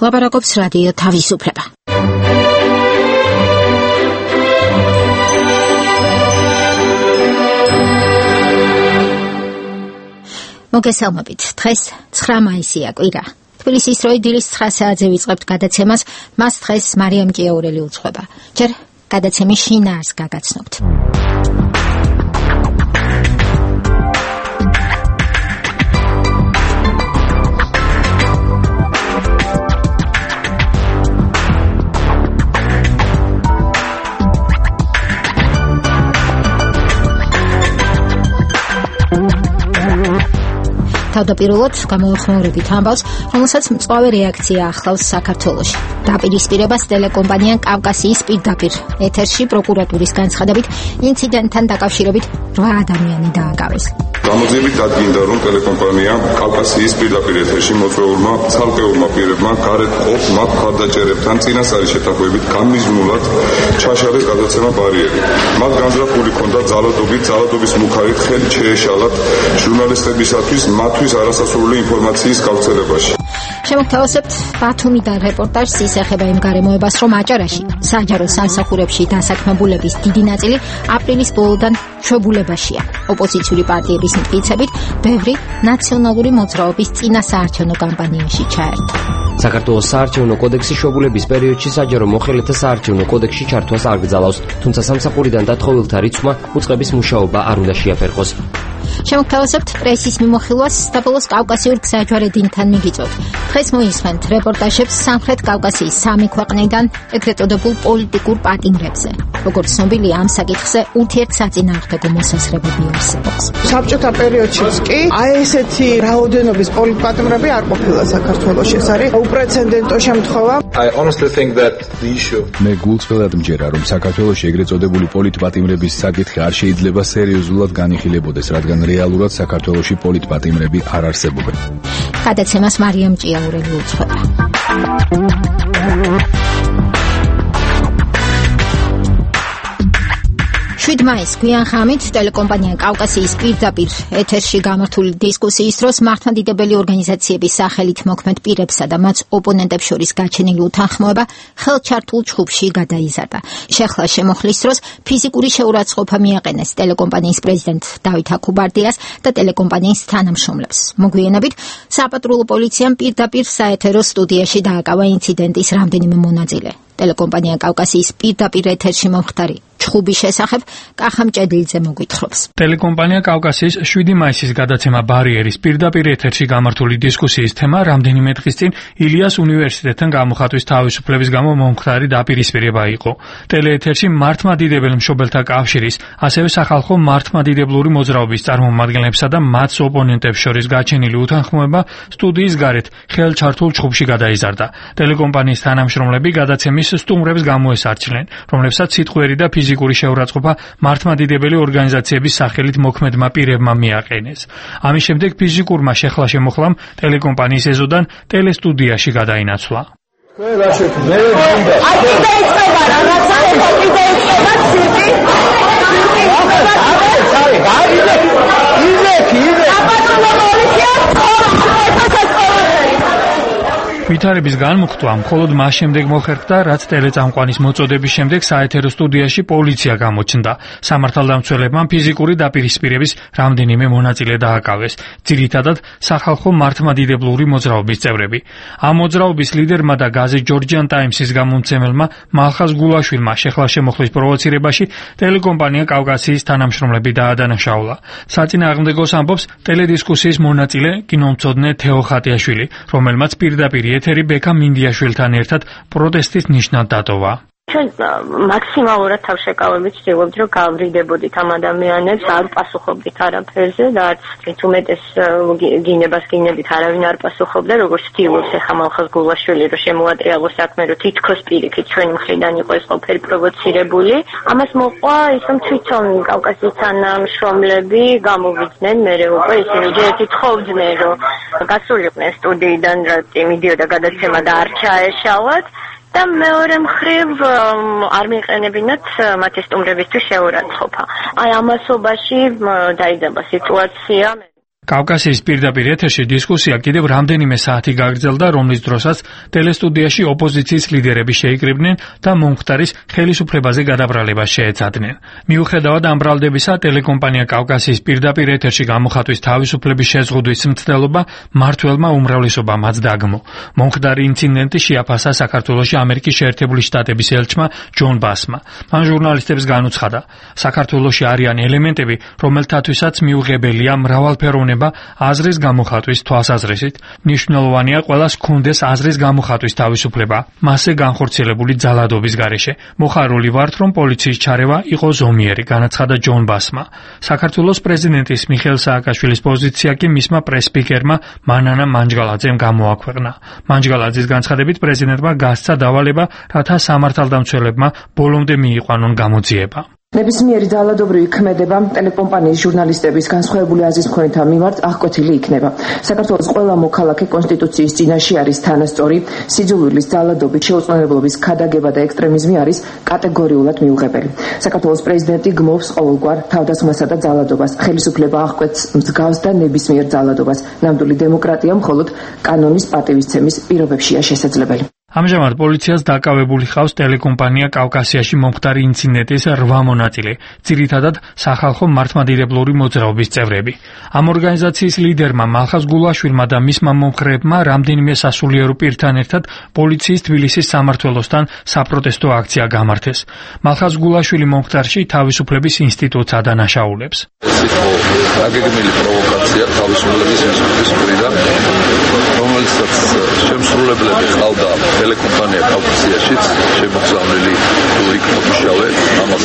ლაპარაკობს რადიო თავისუფლება. მოგესალმებით. დღეს 9 მაისია კვირა. თბილისის როიდილის 9 საათზე ვიწყებთ გადაცემას. მას დღეს მარიამ ჭიაურელი უძღვება. ჯერ გადაცემის შინაარსს გაგაცნობთ. თავდაპირველად გამოვიხმაურებით ამბავს, რომელსაც მწვავე რეაქცია ახლავს საქართველოში. დაპირისპირებას ტელეკომპანია კავკასიის პირდაპირ ეთერში პროკურატურის განცხადებით ინციდენტთან დაკავშირებით 8 ადამიანი დააკავეს. გამოძიებით დადგინდა, რომ ტელეკომპანია კავკასიის პირდაპირ ეთერში მოწვეულმა ცალკეულმა პირებმა გარეთ ყოფ მათ მხარდაჭერებთან წინასწარი შეთანხმებით განმიზნულად ჩაშალეს გადაცემა ბარიერი. მათ განზრახული ჰქონდა ძალადობის მუქარით ხელი შეეშალათ ჟურნალისტებისათვის მათთვის არასასურველი ინფორმაციის გავრცელებაში. შემოგთავაზებთ ბათუმიდან რეპორტაჟს. ის ეხება იმ გარემოებას, რომ აჭარაში საჯარო სამსახურებში დასაქმებულების დიდი ნაწილი აპრილის ბოლოდან ჩვეულებაშია. ოპოზიციური პარტიების მტკიცებით, ბევრი ნაციონალური მოძრაობის წინასაარჩევნო კამპანიაში ჩაერთო. საქართველოს საარჩევნო კოდექსი შვებულების პერიოდში საჯარო მოხელეთა საარჩევნო კოდექსში ჩართვას არ გძალავს, თუმცა სამსახურიდან დათხოვილთა რიცხვმა უწყების მუშაობა არ უნდა შეაფერხოს. შემოგთავაზებთ პრესის მიმოხილვას და ბოლოს კავკასიურ გზაჯვარედინთან მიგიწვევთ. დღეს მოისმენთ რეპორტაჟებს სამხრეთ კავკასიის 3 ქვეყნიდან ეგრეთ წოდებულ პოლიტიკურ პატიმრებზე. როგორც ცნობილია, ამ საკითხზე ურთიერთსაწინააღმდეგო მოსაზრებები არსებობს. საბჭოთა პერიოდშიც კი ესეთი რაოდენობის პოლიტპატიმრები არ ყოფილა საქართველოში. ეს არის უპრეცედენტო შემთხვევა. მე გულწრფელად მჯერა, რომ საქართველოში ეგრეთ წოდებული პოლიტპატიმრების საკითხი არ შეიძლება სერიოზულად განიხილებოდეს, რადგან რეალურად საქართველოში პოლიტპატიმრები არ არსებობენ. გადაცემას მარიამ ჭიაურელი უძღვება. 7 მაისს გვიან ხამით ტელეკომპანია კავკასიის პირდაპირ ეთერში გამართული დისკუსიის დროს მართლმადიდებელი ორგანიზაციების სახელით მოქმედ პირებსა და მათ ოპონენტებს შორის გაჩენილი უთანხმოება ხელჩართულ ჯგუფში გადაიზარდა. შეხლა შემოხლის დროს ფიზიკური შეურაცხყოფა მიაყენეს ტელეკომპანიის პრეზიდენტ დავით აქუბარდიას და ტელეკომპანიის თანამშრომლებს. მოგვიანებით საპატრულო პოლიციამ პირდაპირ საეთერო სტუდიაში დააკავა ინციდენტის რამდენიმე მონაწილე. ტელეკომპანია კავკასიის პირდაპირ ეთერში მომხდარი ჩხუბის შესახებ კახა მჭედლიძე მოგვითხრობს. ტელეკომპანია კავკასიის 7 მაისის გადაცემა ბარიერის პირდაპირ ეთერში გამართული დისკუსიის თემა რამდენიმე დღის წინ ილიას უნივერსიტეტთან გამოხატვის თავისუფლების გამო მომხდარი დაპირისპირება იყო. ტელეეთერში მართლმადიდებელ მშობელთა კავშირის, ასევე სახალხო მართლმადიდებლური მოძრაობის წარმომადგენლებსა და მათ ოპონენტებს შორის გაჩენილი უთანხმოება სტუდიის გარეთ ხელჩართულ ჯგუფში გადაიზარდა. ტელეკომპანიის თანამშრომლები გადაცემის სტუმრებს გამოესარჩნენ, რომლებსაც სიტყვიერი და ფიზიკური შეურაცხყოფა მართლმადიდებელი ორგანიზაციების სახელით მოქმედმა პირებმა მიაყენეს. ამის შემდეგ ფიზიკურმა შეხლა შემოხლამ ტელეკომპანიის ეზოდან ტელესტუდიაში გადაინაცვლა. ვითარების განმუხტვა მხოლოდ მას შემდეგ მოხერხდა, რაც ტელეწამყვანის მოწოდების შემდეგ საეთერო სტუდიაში პოლიცია გამოჩნდა. სამართალდამცველებმა ფიზიკური დაპირისპირების რამდენიმე მონაწილე დააკავეს, ძირითადად სახალხო მართლმადიდებლური მოძრაობის წევრები. ამ მოძრაობის ლიდერმა და გაზეთ ჯორჯიან ტაიმსის გამომცემელმა მალხაზ გულაშვილმა შეხლა შემოხლის პროვოცირებაში ტელეკომპანია კავკასიის თანამშრომლები დაადანაშაულა. საწინააღმდეგოს ამბობს ტელედისკუსიის მონაწილე კინომცოდნე თეო ხატიაშვილი, რომელმაც პირდაპირ ეთერი ბექა მინდიაშვილთან ერთად პროტესტის ნიშნად დატოვა. ჩვენ მაქსიმალურად თავშეკავებით ვცდილობთ, რომ გავვრიდებოდით ამ ადამიანებს, არ პასუხობდით არაფერზე და არც უმეტეს გინებას გინებით არავინ არ პასუხობდა, როგორც ვცდილობს ახლა მალხაზ გულაშვილი, რომ შემოატრიალოს საქმე, რომ თითქოს პირიქით ჩვენი მხრიდან იყო ეს ყველაფერი პროვოცირებული. ამას მოყვა ის, რომ თვითონ კავკასიის თანამშრომლები გამოვიდნენ, მერე უკვე ისინი ერთი თხოვდნენ, რომ გასულიყვნენ სტუდიიდან, რომ მიდიოდა გადაცემა და არ ჩაეშალათ. და მეორე მხრივ არ მიეყენებინათ მათი სტუმრებისთვის შეურაცხყოფა. აი ამასობაში დაიძაბა სიტუაცია. კავკასიის პირდაპირ ეთერში დისკუსია კიდევ რამდენიმე საათი გაგრძელდა, რომლის დროსაც ტელესტუდიაში ოპოზიციის ლიდერები შეიკრიბნენ და მომხდარის ხელისუფლებაზე გადაბრალებას შეეცადნენ. მიუხედავად ამ ბრალდებისა, ტელეკომპანია კავკასიის პირდაპირ ეთერში გამოხატვის თავისუფლების შეზღუდვის მცდელობა მმართველმა უმრავლესობამაც დაგმო. მომხდარი ინციდენტი შეაფასა საქართველოში ამერიკის შეერთებული შტატების ელჩმა ჯონ ბასმა. მან ჟურნალისტებს განუცხადა, საქართველოში არიან ელემენტები, რომელთათვისაც მიუღებელია მრავალფეროვნება აზრის გამოხატვის თვალსაზრისით. მნიშვნელოვანია ყველას ჰქონდეს აზრის გამოხატვის თავისუფლება, მასზე განხორციელებული ძალადობის გარეშე. მოხარული ვართ, რომ პოლიციის ჩარევა იყო ზომიერი, განაცხადა ჯონ ბასმა. საქართველოს პრეზიდენტის მიხეილ სააკაშვილის პოზიცია კი მისმა პრეს-სპიკერმა მანანა მანჯგალაძემ გამოაქვეყნა. მანჯგალაძის განცხადებით პრეზიდენტმა გასცა დავალება, რათა სამართალდამცველებმა ბოლომდე მიიყვანონ გამოძიება. ნებისმიერი ძალადობრივი ქმედება ტელეკომპანიის ჟურნალისტების განსხვავებული აზრის მქონეთა მიმართ აღკვეთილი იქნება. საქართველოს ყველა მოქალაქე კონსტიტუციის წინაშე არის თანასწორი, სიძულვილის, ძალადობის, შეუწყნარებლობის, ქადაგება და ექსტრემიზმი არის კატეგორიულად მიუღებელი. საქართველოს პრეზიდენტი გმობს ყოველგვარ თავდასხმასა და ძალადობას. ხელისუფლება აღკვეთს მსგავს და ნებისმიერ ძალადობას. ნამდვილი დემოკრატია მხოლოდ კანონის პატივისცემის პირობებშია შესაძლებელი. ამჟამად პოლიციას დაკავებული ხავს ტელეკომპანია კავკასიაში მომხდარი ინციდენტის 8 მონაწილე, ძირითადად სახალხო მართლმადიდებლური მოძრაობის წევრები. ამ ორგანიზაციის ლიდერმა მალხაზ გულაშვილმა და მისმა მომხრეებმა რამდენიმე სასულიერო პირთან ერთად პოლიციის თბილისის სამმართველოსთან საპროტესტო აქცია გამართეს. მალხაზ გულაშვილი მომხდარში თავისუფლების ინსტიტუტს ადანაშაულებს. აგეგმილი პროვოკაცია თავისუფლების ინსტიტუტის მხრიდან, რომელსაც შემსრულებლები ყავდა ტელეკომპანია კავკასიაშიც შემოგზავნილი იქ მოდიშავე ამას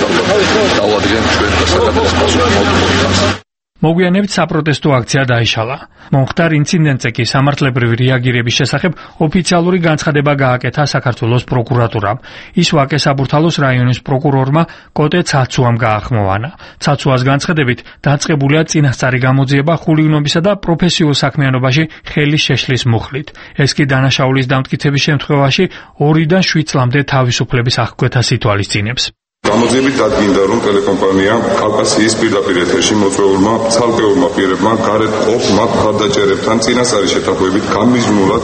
დავადგენ ჩვენ და საქართველოს პასუხისმგებლობას. მოგვიანებით საპროტესტო აქცია დაიშალა. მომხდარ ინციდენტზე კი სამართლებრივი რეაგირების შესახებ ოფიციალური განცხადება გააკეთა საქართველოს პროკურატურამ. ის ვაკე საბურთალოს რაიონის პროკურორმა კოტე ცაცუამ გაახმოვანა. ცაცუას განცხადებით დაწყებულია წინასწარი გამოძიება ხულიგნობისა და პროფესიულ საქმიანობაში ხელის შეშლის მუხლით. ეს კი დანაშაულის დამტკიცების შემთხვევაში 2-დან 7 წლამდე თავისუფლების აღკვეთას ითვალისწინებს. გამოძიებით დადგინდა, რომ ტელეკომპანია კავკასიის პირდაპირ ეთერში მოწვეულმა ცალკეულმა პირებმა გარეთ ყოფ მათ მხარდაჭერებთან წინასწარი შეთანხმებით გამიზნულად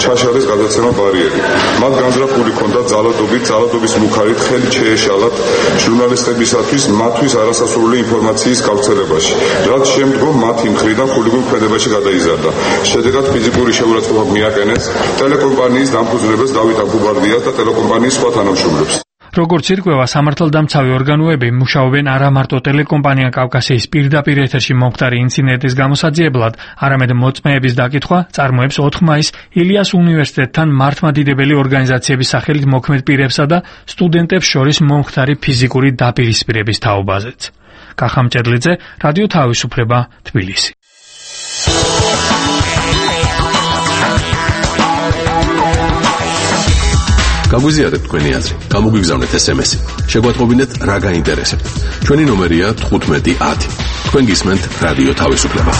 ჩაშალეს გადაცემა ბარიერი. მათ განზრახული ჰქონდათ ძალადობის მუხარით ხელი შეეშალათ ჟურნალისტებისათვის მათთვის არასასურველი ინფორმაციის გავრცელებაში, რაც შემდგომ მათი მხრიდან ხულიგნ ქმედებაში გადაიზარდა. შედეგად ფიზიკური შეურაცხყოფა მიაყენეს ტელეკომპანიის დამფუძნებელს დავით აბუბარდიას და ტელეკომპანიის სხვა თანამშრომლებს. როგორც ირკვევა, სამართალდამცავი ორგანოები მუშაობენ არა მარტო ტელეკომპანია კავკასიის პირდაპირ ეთერში მომხდარი ინციდენტის გამოსაძიებლად, არამედ მოწმეების დაკითხვა წარმოებს 4 მაისს ილიას უნივერსიტეტთან მართლმადიდებელი ორგანიზაციების სახელით მოქმედ პირებსა და სტუდენტებს შორის მომხდარი ფიზიკური დაპირისპირების თაობაზეც. კახა მჭედლიძე, რადიო თავისუფლება, თბილისი. გაგვიზიარეთ თქვენი აზრი, გამოგვიგზავნეთ SMS-ი. შეგვატყობინეთ რა გაინტერესებთ. ჩვენი ნომერია 1510. თქვენ გისმენთ რადიო თავისუფლება.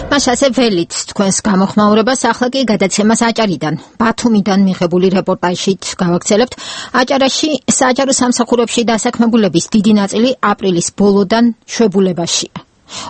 მასაზე ველით თქვენს გამოხმაურებას, ახლა კი გადაცემას აჭარიდან. ბათუმიდან მიღებული რეპორტაჟით გავაგრძელებთ. აჭარაში საჯარო სამსახურებში დასაქმებულების დიდი ნაწილი აპრილის ბოლოდან შვებულებაშია.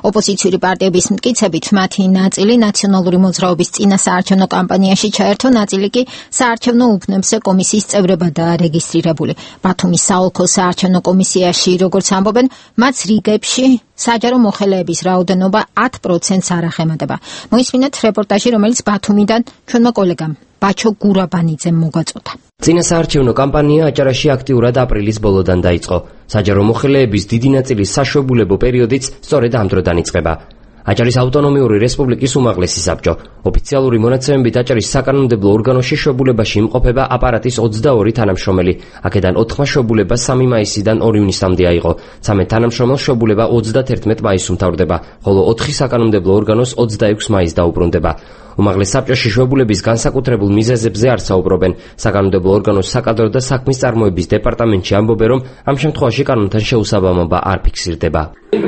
ოპოზიციური პარტიების მტკიცებით მათი ნაწილი ნაციონალური მოძრაობის წინა საარჩევნო კამპანიაში ჩაერთო, ნაწილი კი საარჩევნო უბნებზე კომისიის წევრებადაა რეგისტრირებული. ბათუმის საოლქო საარჩევნო კომისიაში, როგორც ამბობენ, მათ რიგებში საჯარო მოხელეების რაოდენობა 10%-ს არ ახემატება. მოისმინეთ რეპორტაჟი, რომელიც ბათუმიდან ჩვენმა კოლეგამ ბაჩო გურაბანიძემ მოგვაწოდა. წინა საარჩევნო კამპანია აჭარაში აქტიურად აპრილის ბოლოდან დაიწყო. საჯარო მოხელეების დიდი ნაწილის საშვებულებო პერიოდიც სწორედ ამ დროდან იწყება. აჭარის ავტონომიური რესპუბლიკის უმაღლესი საბჭო. ოფიციალური მონაცემებით აჭარის საკანონმდებლო ორგანოში შვებულებაში იმყოფება აპარატის 22 თანამშრომელი. აქედან 4 შვებულება 3 მაისიდან 2 ივნისამდე აიღო. 13 თანამშრომელს შვებულება 31 მაისს უმთავრდება, ხოლო 4 საკანონმდებლო ორგანოს 26 მაისს დაუბრუნდება. უმაღლეს საბჭოში შვებულების განსაკუთრებულ მიზეზებზე არ საუბრობენ. საკანონმდებლო ორგანოს საკადრო და საქმის წარმოების დეპარტამენტში ამბობენ, რომ ამ შემთხვევაში კანონთან შეუსაბამობა არ ფიქსირდება.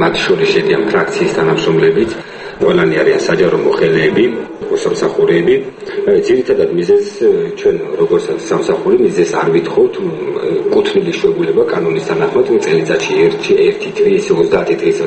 მათ შორის შედიან ფრაქციის თანამშრომლებიც, ყველანი არიან საჯარო მოხელეები, მოსამსახურეები, ძირითადად მიზეზს ჩვენ როგორც სამსახური მიზეზს არ ვითხოვთ კუთვნილი შეუძლება კანონის თანახმად წელიწადში ერთი თვის 30 თვის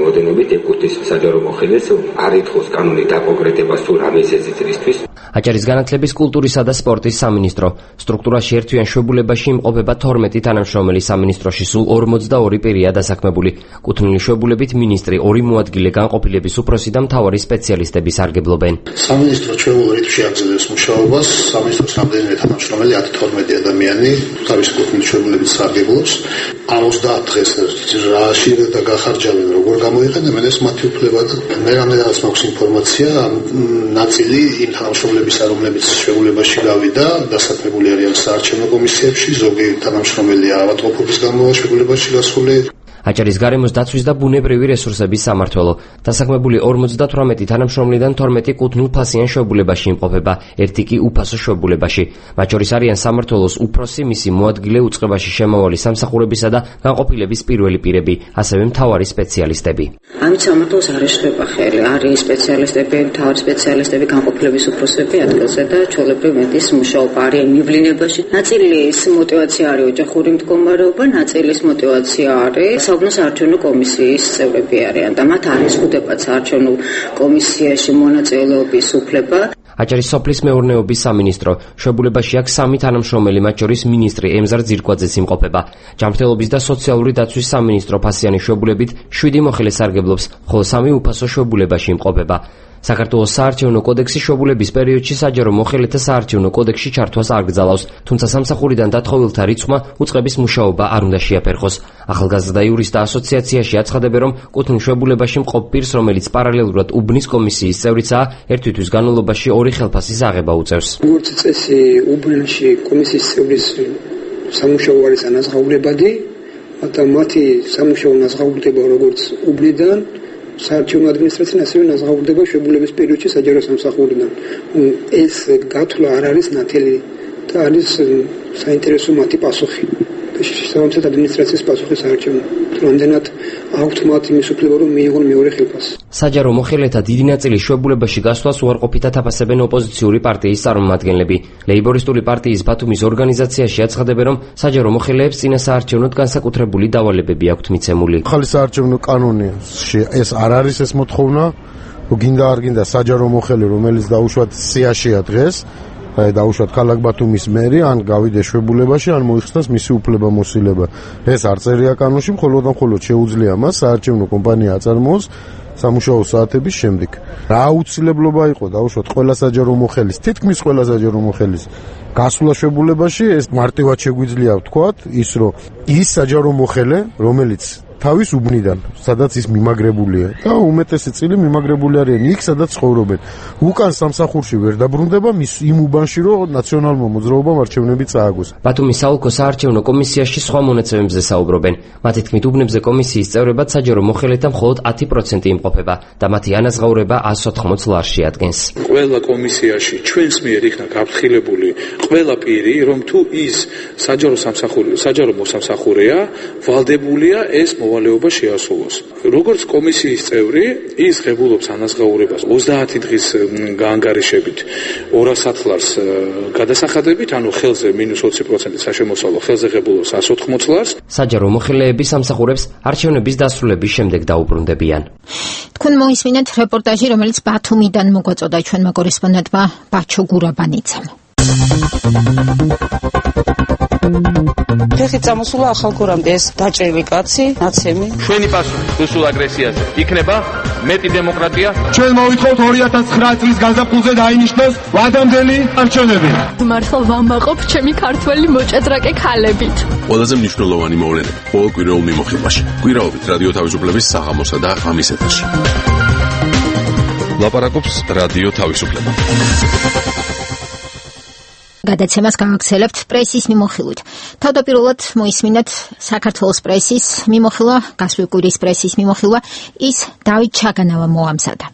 ოდენობით ეკუთვნის საჯარო მოხელეს არ ითხოვს კანონით დაკონკრეტებას თუ რა მიზეზით რისთვის. აჭარის განათლების, კულტურისა და სპორტის სამინისტრო სტრუქტურაში ერთვიან შვებულებაში იმყოფება 12 თანამშრომელი სამინისტროში სულ 42 პირია დასაქმებული. კუთვნილი შვებულებით მინისტრი, 2 მოადგილე, განყოფილების უფროსი და მთავარი სპეციალისტები სარგებლობენ. სამინისტრო ჩვეულებრივ რიტმში აგრძელებს მუშაობას. სამინისტროს რამდენიმე თანამშრომელი 10-12 ადამიანი თავის კუთვნილი შვებულებით სარგებლობს. 70 დღეს რაში და გახარჯავენ როგორ გამოიყენებენ ეს მათი უფლება და მე რამდენადაც მაქვს ინფორმაცია ნაწილი იმ თანამშრომლებისა რომლებიც შვებულებაში გავიდა დასაქმებული არიან საარჩევნო კომისიებში ზოგი თანამშრომელია ავადმყოფობის გამო შვებულებაში გასული. აჭარის გარემოს დაცვის და ბუნებრივი რესურსების სამმართველო დასაქმებული 58 თანამშრომლიდან 12 კუთვნილ-ფასიან შვებულებაში იმყოფება, ერთი კი უფასო შვებულებაში. მათ შორის არიან სამმართველოს უფროსი, მისი მოადგილე, უწყებაში შემავალი სამსახურებისა და განყოფილების პირველი პირები, ასევე მთავარი სპეციალისტები. ამით სამმართველოს არ ეშლება ხელი, არის სპეციალისტები, მთავარი სპეციალისტები, განყოფილების უფროსები ადგილზე და ჩვეულებრივ მეტის მუშაობა არიან მივლინებაში. ნაწილის мотиваცია არის ოჯახური მდგომარეობა, ნაწილის мотиваცია არის საუბნო საარჩევნო კომისიის წევრები არიან და მათ არ იზღუდებათ საარჩევნო კომისიაში მონაწილეობის უფლება. აჭარის სოფლის მეურნეობის სამინისტრო შვებულებაში აქვს 3 თანამშრომელი, მათ შორის მინისტრი ემზარ ძირკვაძეც იმყოფება. ჯანმრთელობის და სოციალური დაცვის სამინისტრო ფასიანი შვებულებით 7 მოხელე სარგებლობს, ხოლო 3 უფასო შვებულებაში იმყოფება. საქართველოს საარჩევნო კოდექსი შვებულების პერიოდში საჯარო მოხელეთა საარჩევნო კოდექსში ჩართვას არ გძალავს, თუმცა სამსახურიდან დათხოვილთა რიცხვმა უწყების მუშაობა არ უნდა შეაფერხოს. ახალგაზრდა იურისტთა ასოციაციაში აცხადებენ, რომ კუთვნილ შვებულებაში მყოფ პირს, რომელიც პარალელურად უბნის კომისიის წევრიცაა, ერთი თვის განმავლობაში 2 ხელფასის აღება უწევს. როგორც წესი, უბნში კომისიის წევრის სამუშაო არის ანაზღაურებადი, მაგრამ მათი სამუშაო ნაზღაურდება როგორც უბნიდან საარჩევნო ადმინისტრაციიდან ასევე ნაზღაურდება შვებულების პერიოდში საჯარო სამსახურიდან. ეს გათვლა არ არის ნათელი და არის საინტერესო მათი პასუხი. სამართლებრივ ადმინისტრაციის პასუხი საარჩევნო. რამდენად აქვთ მათ იმის უფლება რომ მიიღონ მეორე ხელფასი. საჯარო მოხელეთა დიდი ნაწილი შვებულებაში გასვლას უარყოფითად აფასებენ ოპოზიციური პარტიის წარმომადგენლები. ლეიბორისტული პარტიის ბათუმის ორგანიზაციაში აცხადებენ, რომ საჯარო მოხელეებს წინა საარჩევნოდ განსაკუთრებული დავალებები აქვთ მიცემული. ახალი საარჩევნო კანონში ეს არ არის ეს მოთხოვნა, რომ გინდა არ გინდა საჯარო მოხელე, რომელიც დაუშვათ სიაშია დღეს, დაუშვათ ქალაქ ბათუმის მერი, ან გავიდეს შვებულებაში, ან მოიხსნას მისი უფლებამოსილება. ეს არ წერია კანონში, მხოლოდ შეუძლია მას საარჩევნო კომპანია აწარმოოს სამუშაო საათების შემდეგ. რა აუცილებლობა იყო დაუშვათ ყველა საჯარო მოხელის, თითქმის ყველა საჯარო მოხელის გასვლა შვებულებაში, ეს მარტივად შეგვიძლია ვთქვათ, ის რომ ის საჯარო მოხელე, რომელიც თავის უბნიდან, სადაც ის მიმაგრებულია და უმეტესი წილი მიმაგრებული არიან იქ, სადაც ცხოვრობენ. უკან სამსახურში ვერ დაბრუნდება იმ უბანში, რომ ნაციონალურმა მოძრაობამ არჩევნები წააგოს. ბათუმის საოლქო საარჩევნო კომისიაში სხვა მონაცემებზე საუბრობენ. მათი თქმით, უბნებზე კომისიის წევრებად საჯარო მოხელეთა მხოლოდ 10% იმყოფება და მათი ანაზღაურება 180 ლარს შეადგენს. ყველა კომისიაში ჩვენს მიერ იქნა გაფრთხილებული ყველა პირი, რომ თუ ის საჯარო მოსამსახურეა, ვალდებულია ეს მოვალეობა შეასრულოს. როგორც კომისიის წევრი, ის ღებულობს ანაზღაურებას 30 დღის გაანგარიშებით 200 ლარს გადასახადებით, ანუ ხელზე -20% საშემოსავლო, ხელზე ღებულობს 180 ლარს. საჯარო მოხელეები სამსახურებს არჩევნების დასრულების შემდეგ დაუბრუნდებიან. თქვენ მოისმინეთ რეპორტაჟი, რომელიც ბათუმიდან მოგვაწოდა ჩვენმა კორესპონდენტმა ბაჩო გურაბანიცამ. ფეხით წამოსულა ახალგორამდე ეს დაჭრილი კაცი, ნაცემი. ჩვენი პასუხი რუსულ აგრესიაზე იქნება მეტი დემოკრატია. ჩვენ მოვითხოვთ 2009 წლის გაზაფხულზე დაინიშნოს ვადამდელი არჩევნები. მართლა ვამაყობ ჩემი ქართველი მოჭადრაკე ქალებით. ყველაზე მნიშვნელოვანი მოვლენები ყოველ კვირაულ მიმოხილვაში. კვირაობით რადიო თავისუფლების საღამოსა და ღამის ეთერში. ლაპარაკობს რადიო თავისუფლება. გადაცემას გავაგრძელებთ პრესის მიმოხილვით. თავდაპირველად მოისმინეთ საქართველოს პრესის მიმოხილვა, გასული კვირის პრესის მიმოხილვა, ის დავით ჩაგანავა მოამზადა.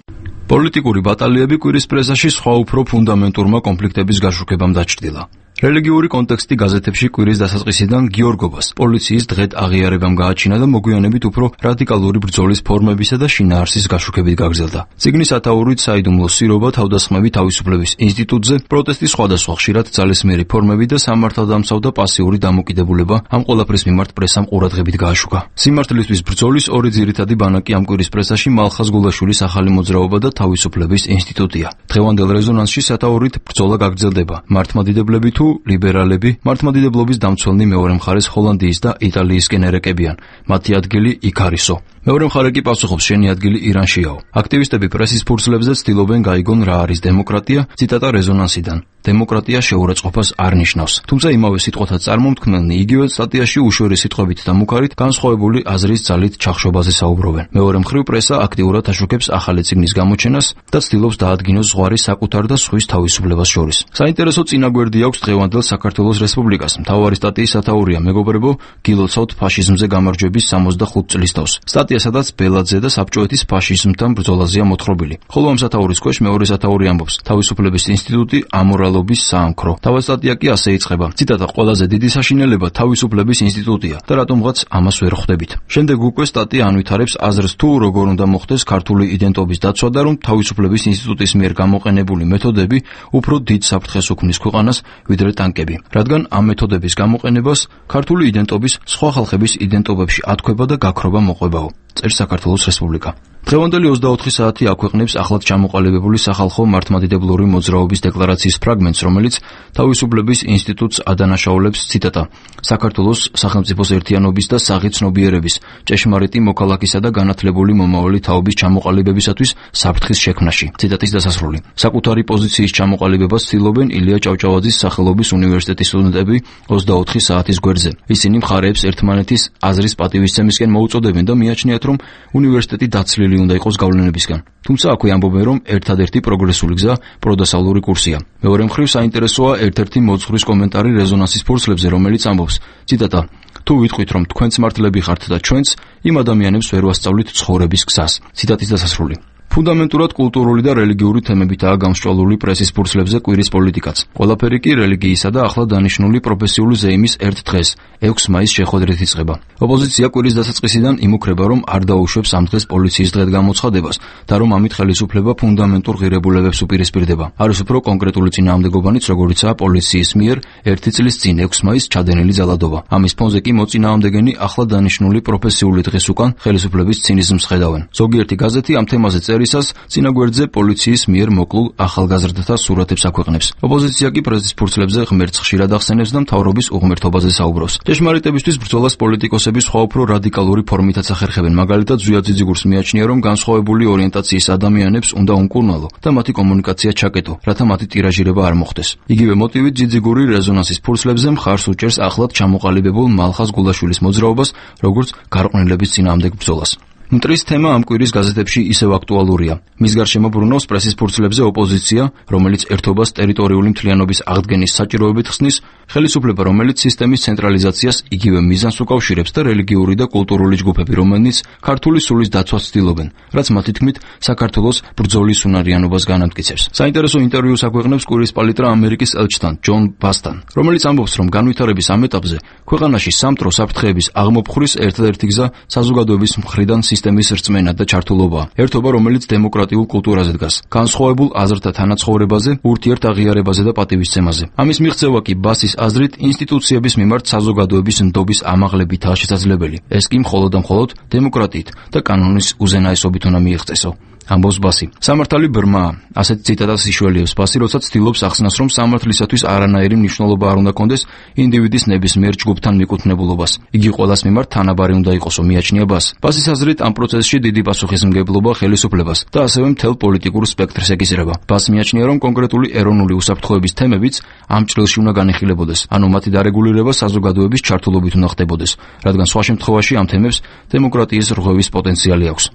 პოლიტიკური ბატალიები კვირის პრესაში სხვა უფრო ფუნდამენტურმა კონფლიქტების გაშუქებამ დაჩრდილა. რელიგიური კონტექსტი გაზეთებში კვირის დასაწყისიდან გიორგობას პოლიციის დღედ აღიარებამ გააჩინა და მოგვიანებით უფრო რადიკალური ბრძოლის ფორმებისა და შინაარსის გაშუქებით გაგრძელდა. წიგნის ათაურით საიდუმლო სირობა, თავდასხმები თავისუფლების ინსტიტუტზე, პროტესტის სხვადასხვა ხშირად ძალისმიერი ფორმები და სამართალდამცავ და პასიური დამოკიდებულება ამ ყველაფრის მიმართ პრესამ ყურადღებით გააშუქა. სიმართლისთვის ბრძოლის ორი ძირითადი ბანაკი ამ კვირის პრესაში მალხაზ გულაშვილის ახალი მოძრაობა და თავისუფლების ინსტიტუტია. დღევანდელ რეზონანსში სათაურით ბრძოლა გაგრძელდება. მართლმადიდებლები თუ ლიბერალები, მართლმადიდებლობის დამცველნი მეორე მხარეს ჰოლანდიის და იტალიისკენ ერეკებიან. მათი ადგილი იქ არისო. მეორე მხარე კი პასუხობს, შენი ადგილი ირანშიაო. აქტივისტები პრესის ფურცლებზე ცდილობენ გაიგონ რა არის დემოკრატია, ციტატა რეზონანსიდან. დემოკრატია შეურაცხყოფას არ ნიშნავს. თუმცა იმავე სიტყვათა წარმომქმნელნი იგივე სტატიაში უშუალო სიტყვებით და მუქარით განსხვავებული აზრის ძალით ჩახშობაზე საუბრობენ. მეორე მხრივ პრესა აქტიურად აშუქებს ახალი წიგნის გამოჩენას და ცდილობს დაადგინოს ზღვარი საკუთარ და სხვის თავისუფლებას შორის. საინტერესო წინაგვერდი აქვს დღევანდელ საქართველოს რესპუბლიკას. მთავარი სტატიის სათაურია მეგობრებო, გილოცავთ ფაშიზმზე გამარჯვების 65 წლის თავს. სტატია, სადაც ბელაძე და საბჭოეთის ფაშიზმთან ბრძოლაზეა მოთხრობილი. ხოლო ამ სათაურის ქვეშ მეორე სათაური ამბობს: თავისუფლების ინსტიტუტი ამორალობის საამქრო. თავად სტატია კი ასე იწყება. ციტატა: ყველაზე დიდი საშინელება თავისუფლების ინსტიტუტია და რატომღაც ამას ვერ ხვდებით. შემდეგ უკვე სტატია ანვითარებს აზრს თუ როგორ უნდა მოხდეს ქართული იდენტობის დაცვა და რომ თავისუფლების ინსტიტუტის მიერ გამოყენებული მეთოდები უფრო დიდ საფრთხეს უქმნის ქვეყანას ვიდრე ტანკები, რადგან ამ მეთოდების გამოყენებას ქართული იდენტობის სხვა ხალხების იდენტობებში ათქვება და გაქრობა მოყვებაო. წერს საქართველოს რესპუბლიკა. დღევანდელი 24 საათი აქვეყნებს ახლად ჩამოყალიბებული სახალხო მართლმადიდებლური მოძრაობის დეკლარაციის ფრაგმენტს, რომელიც თავისუფლების ინსტიტუტს ადანაშაულებს, ციტატა: საქართველოს სახელმწიფოს ერთიანობის და საღი ცნობიერების, ჭეშმარიტი მოქალაქისა და განათლებული მომავალი თაობის ჩამოყალიბებისათვის საფრთხის შექმნაში. ციტატის დასასრული. საკუთარი პოზიციის ჩამოყალიბებას ცდილობენ ილია ჭავჭავაძის სახელობის უნივერსიტეტის სტუდენტები 24 საათის გვერდზე. ისინი მხარეებს ერთმანეთის აზრის პატივისცემისკენ მოუწოდებენ და მიაჩნიათ, რომ უნივერსიტეტი დაცლილი უნდა იყოს გავლენებისგან. თუმცა აქვე ამბობენ, რომ ერთადერთი პროგრესული გზა პროდასავლური კურსია. მეორე მხრივ საინტერესოა ერთ-ერთი მოძღვრის კომენტარი რეზონანსის ფურცლებზე, რომელიც ამბობს, ციტატა: თუ ვიტყვით, რომ თქვენც მართლები ხართ და ჩვენც, იმ ადამიანებს ვერ ვასწავლით ცხოვრების გზას. ციტატის დასასრული. ფუნდამენტურად კულტურული და რელიგიური თემებითაა გამსჭვალული პრესის ფურცლებზე კვირის პოლიტიკაც. ყველაფერი კი რელიგიისა და ახლა დანიშნული პროფესიული ზეიმის ერთ დღეს, 6 მაისს შეხვედრით იწყება. ოპოზიცია კვირის დასაწყისიდან იმუქრება, რომ არ დაუშვებს ამ დღეს პოლიციის დღედ გამოცხადებას და რომ ამით ხელისუფლება ფუნდამენტურ ღირებულებებს უპირისპირდება. არის უფრო კონკრეტული წინააღმდეგობანიც, როგორიცაა პოლიციის მიერ 1 წლის წინ 6 მაისს ჩადენილი ძალადობა. ამის ფონზე კი მოწინააღმდეგენი ახლა დანიშნული პროფესიული დღეს უკან ხელისუფლების ცინიზმს ხედავენ. ზოგიერთი გაზეთი ამ თემაზე წერისას წინაგვერდზე პოლიციის მიერ მოკლულ ახალგაზრდათა სურათებს აქვეყნებს. ოპოზიცია კი პრესის ფურცლებზე ღმერთს ხშირად ახსენებს და მთავრობის უღმერთობაზე საუბრობს. ჭეშმარიტებისთვის ბრძოლას პოლიტიკოსები სხვა უფრო რადიკალური ფორმითაც ახერხებენ. მაგალითად, ზვია ძიძიგურს მიაჩნია, რომ განსხვავებული ორიენტაციის ადამიანებს უნდა უმკურნალო და მათი კომუნიკაცია ჩაკეტო, რათა მათი ტირაჟირება არ მოხდეს. იგივე მოტივით ძიძიგური რეზონანსის ფურცლებზე მხარს უჭერს ახლად ჩამოყალიბებულ მალხაზ გულაშვილის მოძრაობას, როგორც გარყვნილების წინააღმდეგ ბრძოლას. მტრის თემა ამ კვირის გაზეთებში ისევ აქტუალურია. მის გარშემო ბრუნავს პრესის ფურცლებზე ოპოზიცია, რომელიც ერთობას ტერიტორიული მთლიანობის აღდგენის საჭიროებით ხსნის, ხელისუფლება, რომელიც სისტემის ცენტრალიზაციას იგივე მიზანს უკავშირებს და რელიგიური და კულტურული ჯგუფები, რომელიც ქართული სულის დაცვას ცდილობენ, რაც მათი თქმით საქართველოს ბრძოლის უნარიანობას განამტკიცებს. საინტერესო ინტერვიუს აქვეყნებს კვირის პალიტრა ამერიკის ელჩთან, ჯონ ბასთან, რომელიც ამბობს, რომ განვითარების ამ ეტაპზე ქვეყანაში სამტრო საფრთხეების აღმოფხვრის ერთადერთი გზა საზოგადოების მხრიდან სისტემის რწმენა და ჩართულობაა. ერთობა, რომელიც დემოკრატიულ კულტურაზე დგას, განსხვავებულ აზრთა თანაცხოვრებაზე, ურთიერთაღიარებაზე და პატივისცემაზე. ამის მიღწევა კი ბასის აზრით ინსტიტუციების მიმართ საზოგადოების ნდობის ამაღლებითაა შესაძლებელი. ეს კი მხოლოდ და მხოლოდ დემოკრატიით და კანონის უზენაესობით უნდა მიიღწესო. ამბობს ბასი. სამართალი ბრმაა. ასეთ ციტატას იშველიებს ბასი, როცა ცდილობს ახსნას, რომ სამართლისათვის არანაირი მნიშვნელობა არ უნდა კონდეს ინდივიდის ნებისმიერ ჯგუფთან მიკუთვნებულობას. იგი ყველას მიმართ თანაბარი უნდა იყოსო, მიაჩნია ბასი. ბასის აზრით ამ პროცესში დიდი პასუხისმგებლობა ხელისუფლებას და ასევე მთელ პოლიტიკურ სპექტრს ეკისრება. ბასი მიაჩნია, რომ კონკრეტული ეროვნული უსაფრთხოების თემებიც ამ ჭრილში უნდა განიხილებოდეს, ანუ მათი დარეგულირება საზოგადოების ჩართულობით უნდა ხდებოდეს, რადგან სხვა შემთხვევაში ამ თემებს დემოკრატიის რღვევის პოტენციალი აქვს.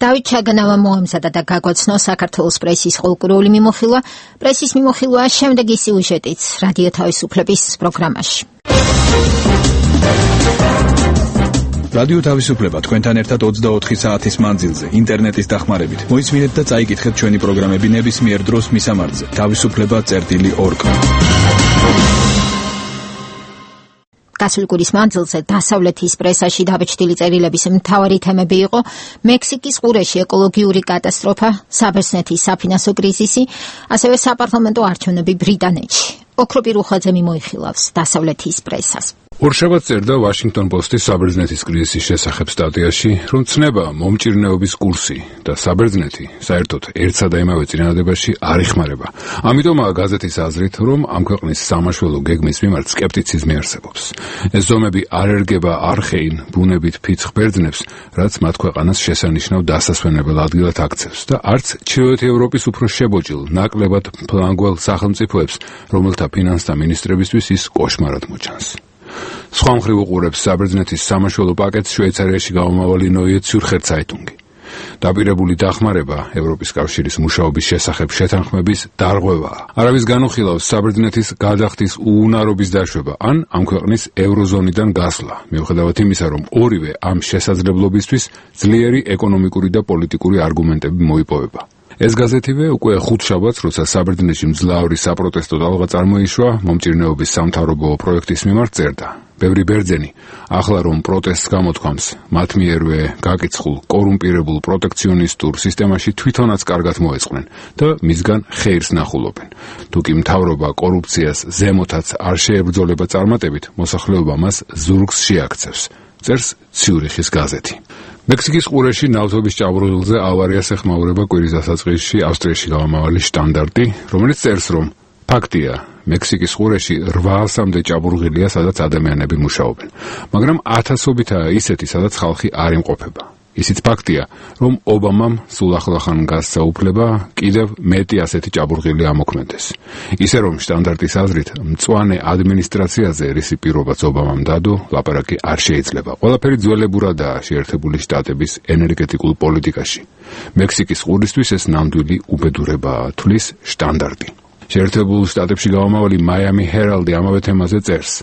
დავით ჩაგანავა მოემზადა და გაგვაცნო საქართველოს პრესის ყოლკურული მიმოხილვა. პრესის მიმოხილვა შემდეგი სიუჟეტით რადიო თავისუფლების პროგრამაში. რადიო თავისუფლება თქვენთან ერთად 24 საათის მანძილზე ინტერნეტის დახმარებით. მოისმინეთ და წაიკითხეთ ჩვენი პროგრამები ნებისმიერ დროს მისამართზე. თავისუფლება.org გასული კვირის მანძილზე დასავლეთის პრესაში დაბეჭდილი წერილების მთავარი თემები იყო მექსიკის ყურეში ეკოლოგიური კატასტროფა, საბერძნეთის საფინანსო კრიზისი, ასევე საპარლამენტო არჩევნები ბრიტანეთში. ოქროპი რუხაძე მიმოიხილავს დასავლეთის პრესას. ორშაბათს წერდა Washington Post-ის საბერძნეთის კრიზისის შესახებ სტატიაში, რომ ცნება მომჭირნეობის კურსი და საბერძნეთი საერთოდ ერთსა და იმავე წინადადებაში არ იხმარება. ამიტომაა გაზეთის აზრით, რომ ამ ქვეყნის სამაშველო გეგმის მიმართ სკეპტიციზმი არსებობს. ეს ზომები არ ერგება არხეინ ბუნებით ფიცხ ბერძნებს, რაც მათ ქვეყანას შესანიშნავ დასასვენებელ ადგილად აქცევს და არც ჩრდილოეთ ევროპის უფრო შებოჭილ, ნაკლებად ფლანგველ სახელმწიფოებს, რომელთა ფინანსთა მინისტრებისთვის ის კოშმარად მოჩანს. სხვა მხრივ უყურებს საბერძნეთის სამაშველო პაკეტს შვეიცარიაში გამომავალი Neue Zürcher Zeitung. დაპირებული დახმარება ევროპის კავშირის მუშაობის შესახებ შეთანხმების დარღვევაა. არავის განუხილავს საბერძნეთის გადახდის უუნარობის დაშვება ან ამ ქვეყნის ევროზონიდან გასვლა, მიუხედავად იმისა, რომ ორივე ამ შესაძლებლობისთვის ძლიერი ეკონომიკური და პოლიტიკური არგუმენტები მოიპოვება. ეს გაზეთივე უკვე ხუთშაბათს, როცა საბერძნეთში მძლავრი საპროტესტო ტალღა წარმოიშვა მომჭირნეობის სამთავრობო პროექტის მიმართ წერდა. ბევრი ბერძენი ახლა რომ პროტესტს გამოთქვამს, მათ მიერვე გაკიცხულ კორუმპირებულ პროტექციონისტურ სისტემაში თვითონაც კარგად მოეწყნენ და მისგან ხეირს ნახულობენ. თუკი მთავრობა კორუფციას ზემოთაც არ შეებრძოლება წარმატებით, მოსახლეობა მას ზურგს შეაქცევს. წერს ციურიხის გაზეთი. მექსიკის ყურეში ნავთობის ჭაბურღილზე ავარიას ეხმაურება კვირის დასაწყისში ავსტრიაში გამომავალი შტანდარტი, რომელიც წერს, რომ ფაქტია, მექსიკის ყურეში 800-მდე ჭაბურღილია, სადაც ადამიანები მუშაობენ, მაგრამ ათასობითაა ისეთი, სადაც ხალხი არ იმყოფება. ისიც ფაქტია, რომ ობამამ სულ ახლახან გასცა უფლება კიდევ მეტი ასეთი ჭაბურღილი ამოქმედეს. ისე რომ შტანდარტის აზრით, მწვანე ადმინისტრაციაზე, რისი პირობაც ობამამ დადო, ლაპარაკი არ შეიძლება. ყველაფერი ძველებურადაა შეერთებული შტატების ენერგეტიკულ პოლიტიკაში. მექსიკის ყურისთვის ეს ნამდვილი უბედურებაა, თვლის შტანდარტი. შეერთებულ შტატებში გამომავალი Miami Herald-ი ამავე თემაზე წერს.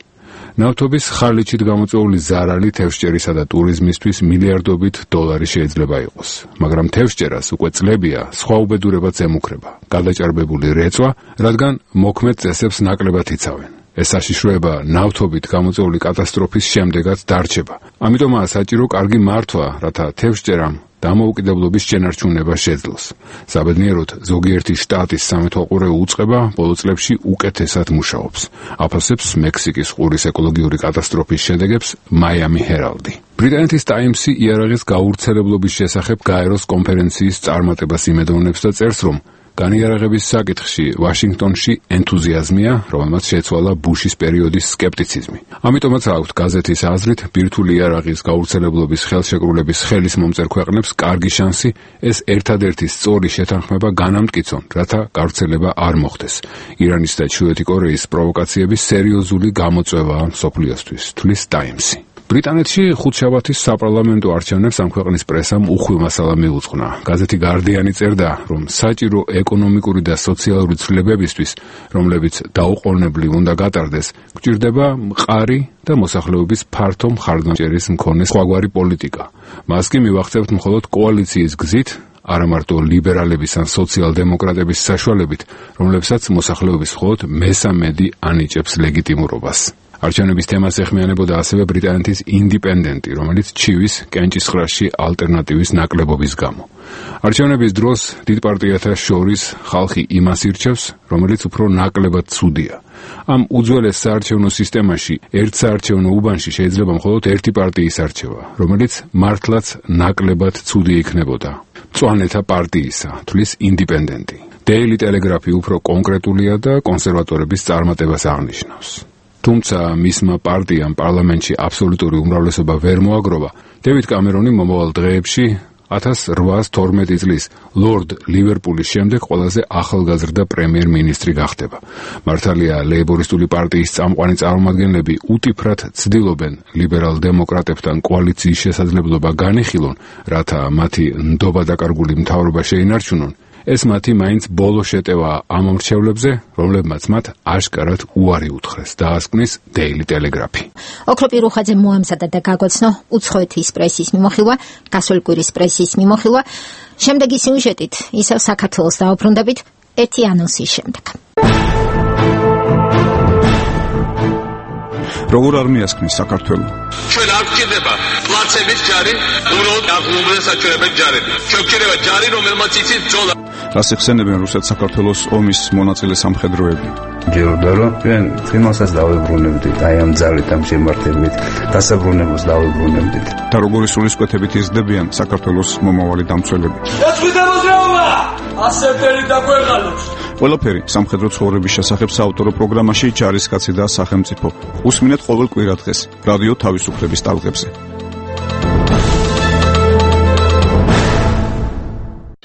ნავთობის ხარლიჩით გამოწვეული ზარალი თევზჭერისა და ტურიზმისთვის მილიარდობით დოლარი შეიძლება იყოს, მაგრამ თევზჭერას უკვე წლებია სხვა უბედურებაც ემუქრება. გადაჭარბებული რეწვა, რადგან მოქმედ წესებს ნაკლებად იცავენ. ეს საშიშროება ნავთობით გამოწვეული კატასტროფის შემდეგაც დარჩება. ამიტომაა საჭირო კარგი მართვა, რათა თევზჭერამ დამოუკიდებლობის შენარჩუნება შეძლოს. საბედნიეროდ, ზოგიერთი შტატის სამეთვალყურეო უწყება ბოლო წლებში უკეთესად მუშაობს. აფასებს მექსიკის ყურის ეკოლოგიური კატასტროფის შედეგებს Miami Herald-ი. ბრიტანეთის ტაიმსი იარაღის გაურცელებლობის შესახებ გაეროს კონფერენციის წარმატებას იმედოვნებს და წერს, რომ განიარაღების საკითხში ვაშინგტონში ენთუზიაზმია, რომელმაც შეცვალა ბუშის პერიოდის სკეპტიციზმი. ამიტომაც აქვთ გაზეთის აზრით, ბირთვული იარაღის გაურცელებლობის ხელშეკრულების ხელის მომწერ ქვეყნებს კარგი შანსი ეს ერთადერთი სწორი შეთანხმება განამტკიცონ, რათა გავრცელება არ მოხდეს. ირანის და ჩრდილოეთი კორეის პროვოკაციების სერიოზული გამოწვევაა მსოფლიოსთვის, თვლის ტაიმსი. ბრიტანეთში ხუთშაბათის საპარლამენტო არჩევნებს ამ ქვეყნის პრესამ უხვი მასალა მიუძღვნა. გაზეთი გარდიანი წერდა, რომ საჭირო ეკონომიკური და სოციალური ცვლილებებისთვის, რომლებიც დაუყოვნებლივ უნდა გატარდეს, გჭირდება მყარი და მოსახლეობის ფართო მხარდამჭერის მქონე სხვაგვარი პოლიტიკა. მას კი მივახცევთ მხოლოდ კოალიციის გზით, არა მარტო ლიბერალების ან სოციალ-დემოკრატების საშუალებით, რომლებსაც მოსახლეობის მხოლოდ მესამედი ანიჭებს ლეგიტიმურობას. არჩევნების თემას ეხმიანებოდა ასევე ბრიტანეთის ინდიპენდენტი, რომელიც ჩივის კენჭისყრაში ალტერნატივის ნაკლებობის გამო. არჩევნების დროს დიდ პარტიათა შორის ხალხი იმას ირჩევს, რომელიც უფრო ნაკლებად ცუდია. ამ უძველეს საარჩევნო სისტემაში ერთ საარჩევნო უბანში შეიძლება მხოლოდ ერთი პარტიის არჩევა, რომელიც მართლაც ნაკლებად ცუდი იქნებოდა. მწვანეთა პარტიისა, თვლის ინდიპენდენტი. Daily Telegraph-ი უფრო კონკრეტულია და კონსერვატორების წარმატებას აღნიშნავს. თუმცა მისმა პარტიამ პარლამენტში აბსოლუტური უმრავლესობა ვერ მოაგროვა. დევიდ კამერონი მომავალ დღეებში 1812 წლის ლორდ ლივერპულის შემდეგ ყველაზე ახალგაზრდა პრემიერ-მინისტრი გახდება. მართალია ლეიბორისტული პარტიის წამყვანი წარმომადგენლები უტიფრად ცდილობენ ლიბერალ-დემოკრატებთან კოალიციის შესაძლებლობა განიხილონ, რათა მათი ნდობადაკარგული მთავრობა შეინარჩუნონ. ეს მათი მაინც ბოლო შეტევაა ამ მრჩევლებზე, რომლებმაც მათ აშკარად უარი უთხრეს, დაასკვნის Daily Telegraph-ი. ოქროპი რუხაძე მოამზადა და გაგვაცნო უცხოეთის პრესის მიმოხილვა, გასული კვირის პრესის მიმოხილვა. შემდეგი სიუჟეტით ისევ საქართველოს დაუბრუნდებით ერთი ანონსის შემდეგ. როგორ არ მიასხნის საქართველოს? ჩვენ არ გვჭირდება პლაცების ჯარი, უბრალოდ აღლუმრდა საჩვენებელი ჯარები. ჩვენ გვჭირდება ჯარი, რომელმაც იცის ბრძოლა. რას იხსენებენ რუსეთ-საქართველოს ომის მონაწილე სამხედროები? ჯეროდა რომ ჩვენ თემასაც დავებრუნებდით, აი ამ ძალით ამ შემართებით, დასაბრუნებულს დავებრუნებდით. და როგორი სულისკვეთებით იზრდებიან საქართველოს მომავალი დამცველები? დაწვიდა მოძრაობა! ასეთერი დაგვეღალოს. ყველაფერი სამხედრო ცხოვრების შესახებ საავტორო პროგრამაში ჯარისკაცი და სახელმწიფო. უსმინეთ ყოველ კვირადღეს რადიო თავისუფლების ტალღებზე.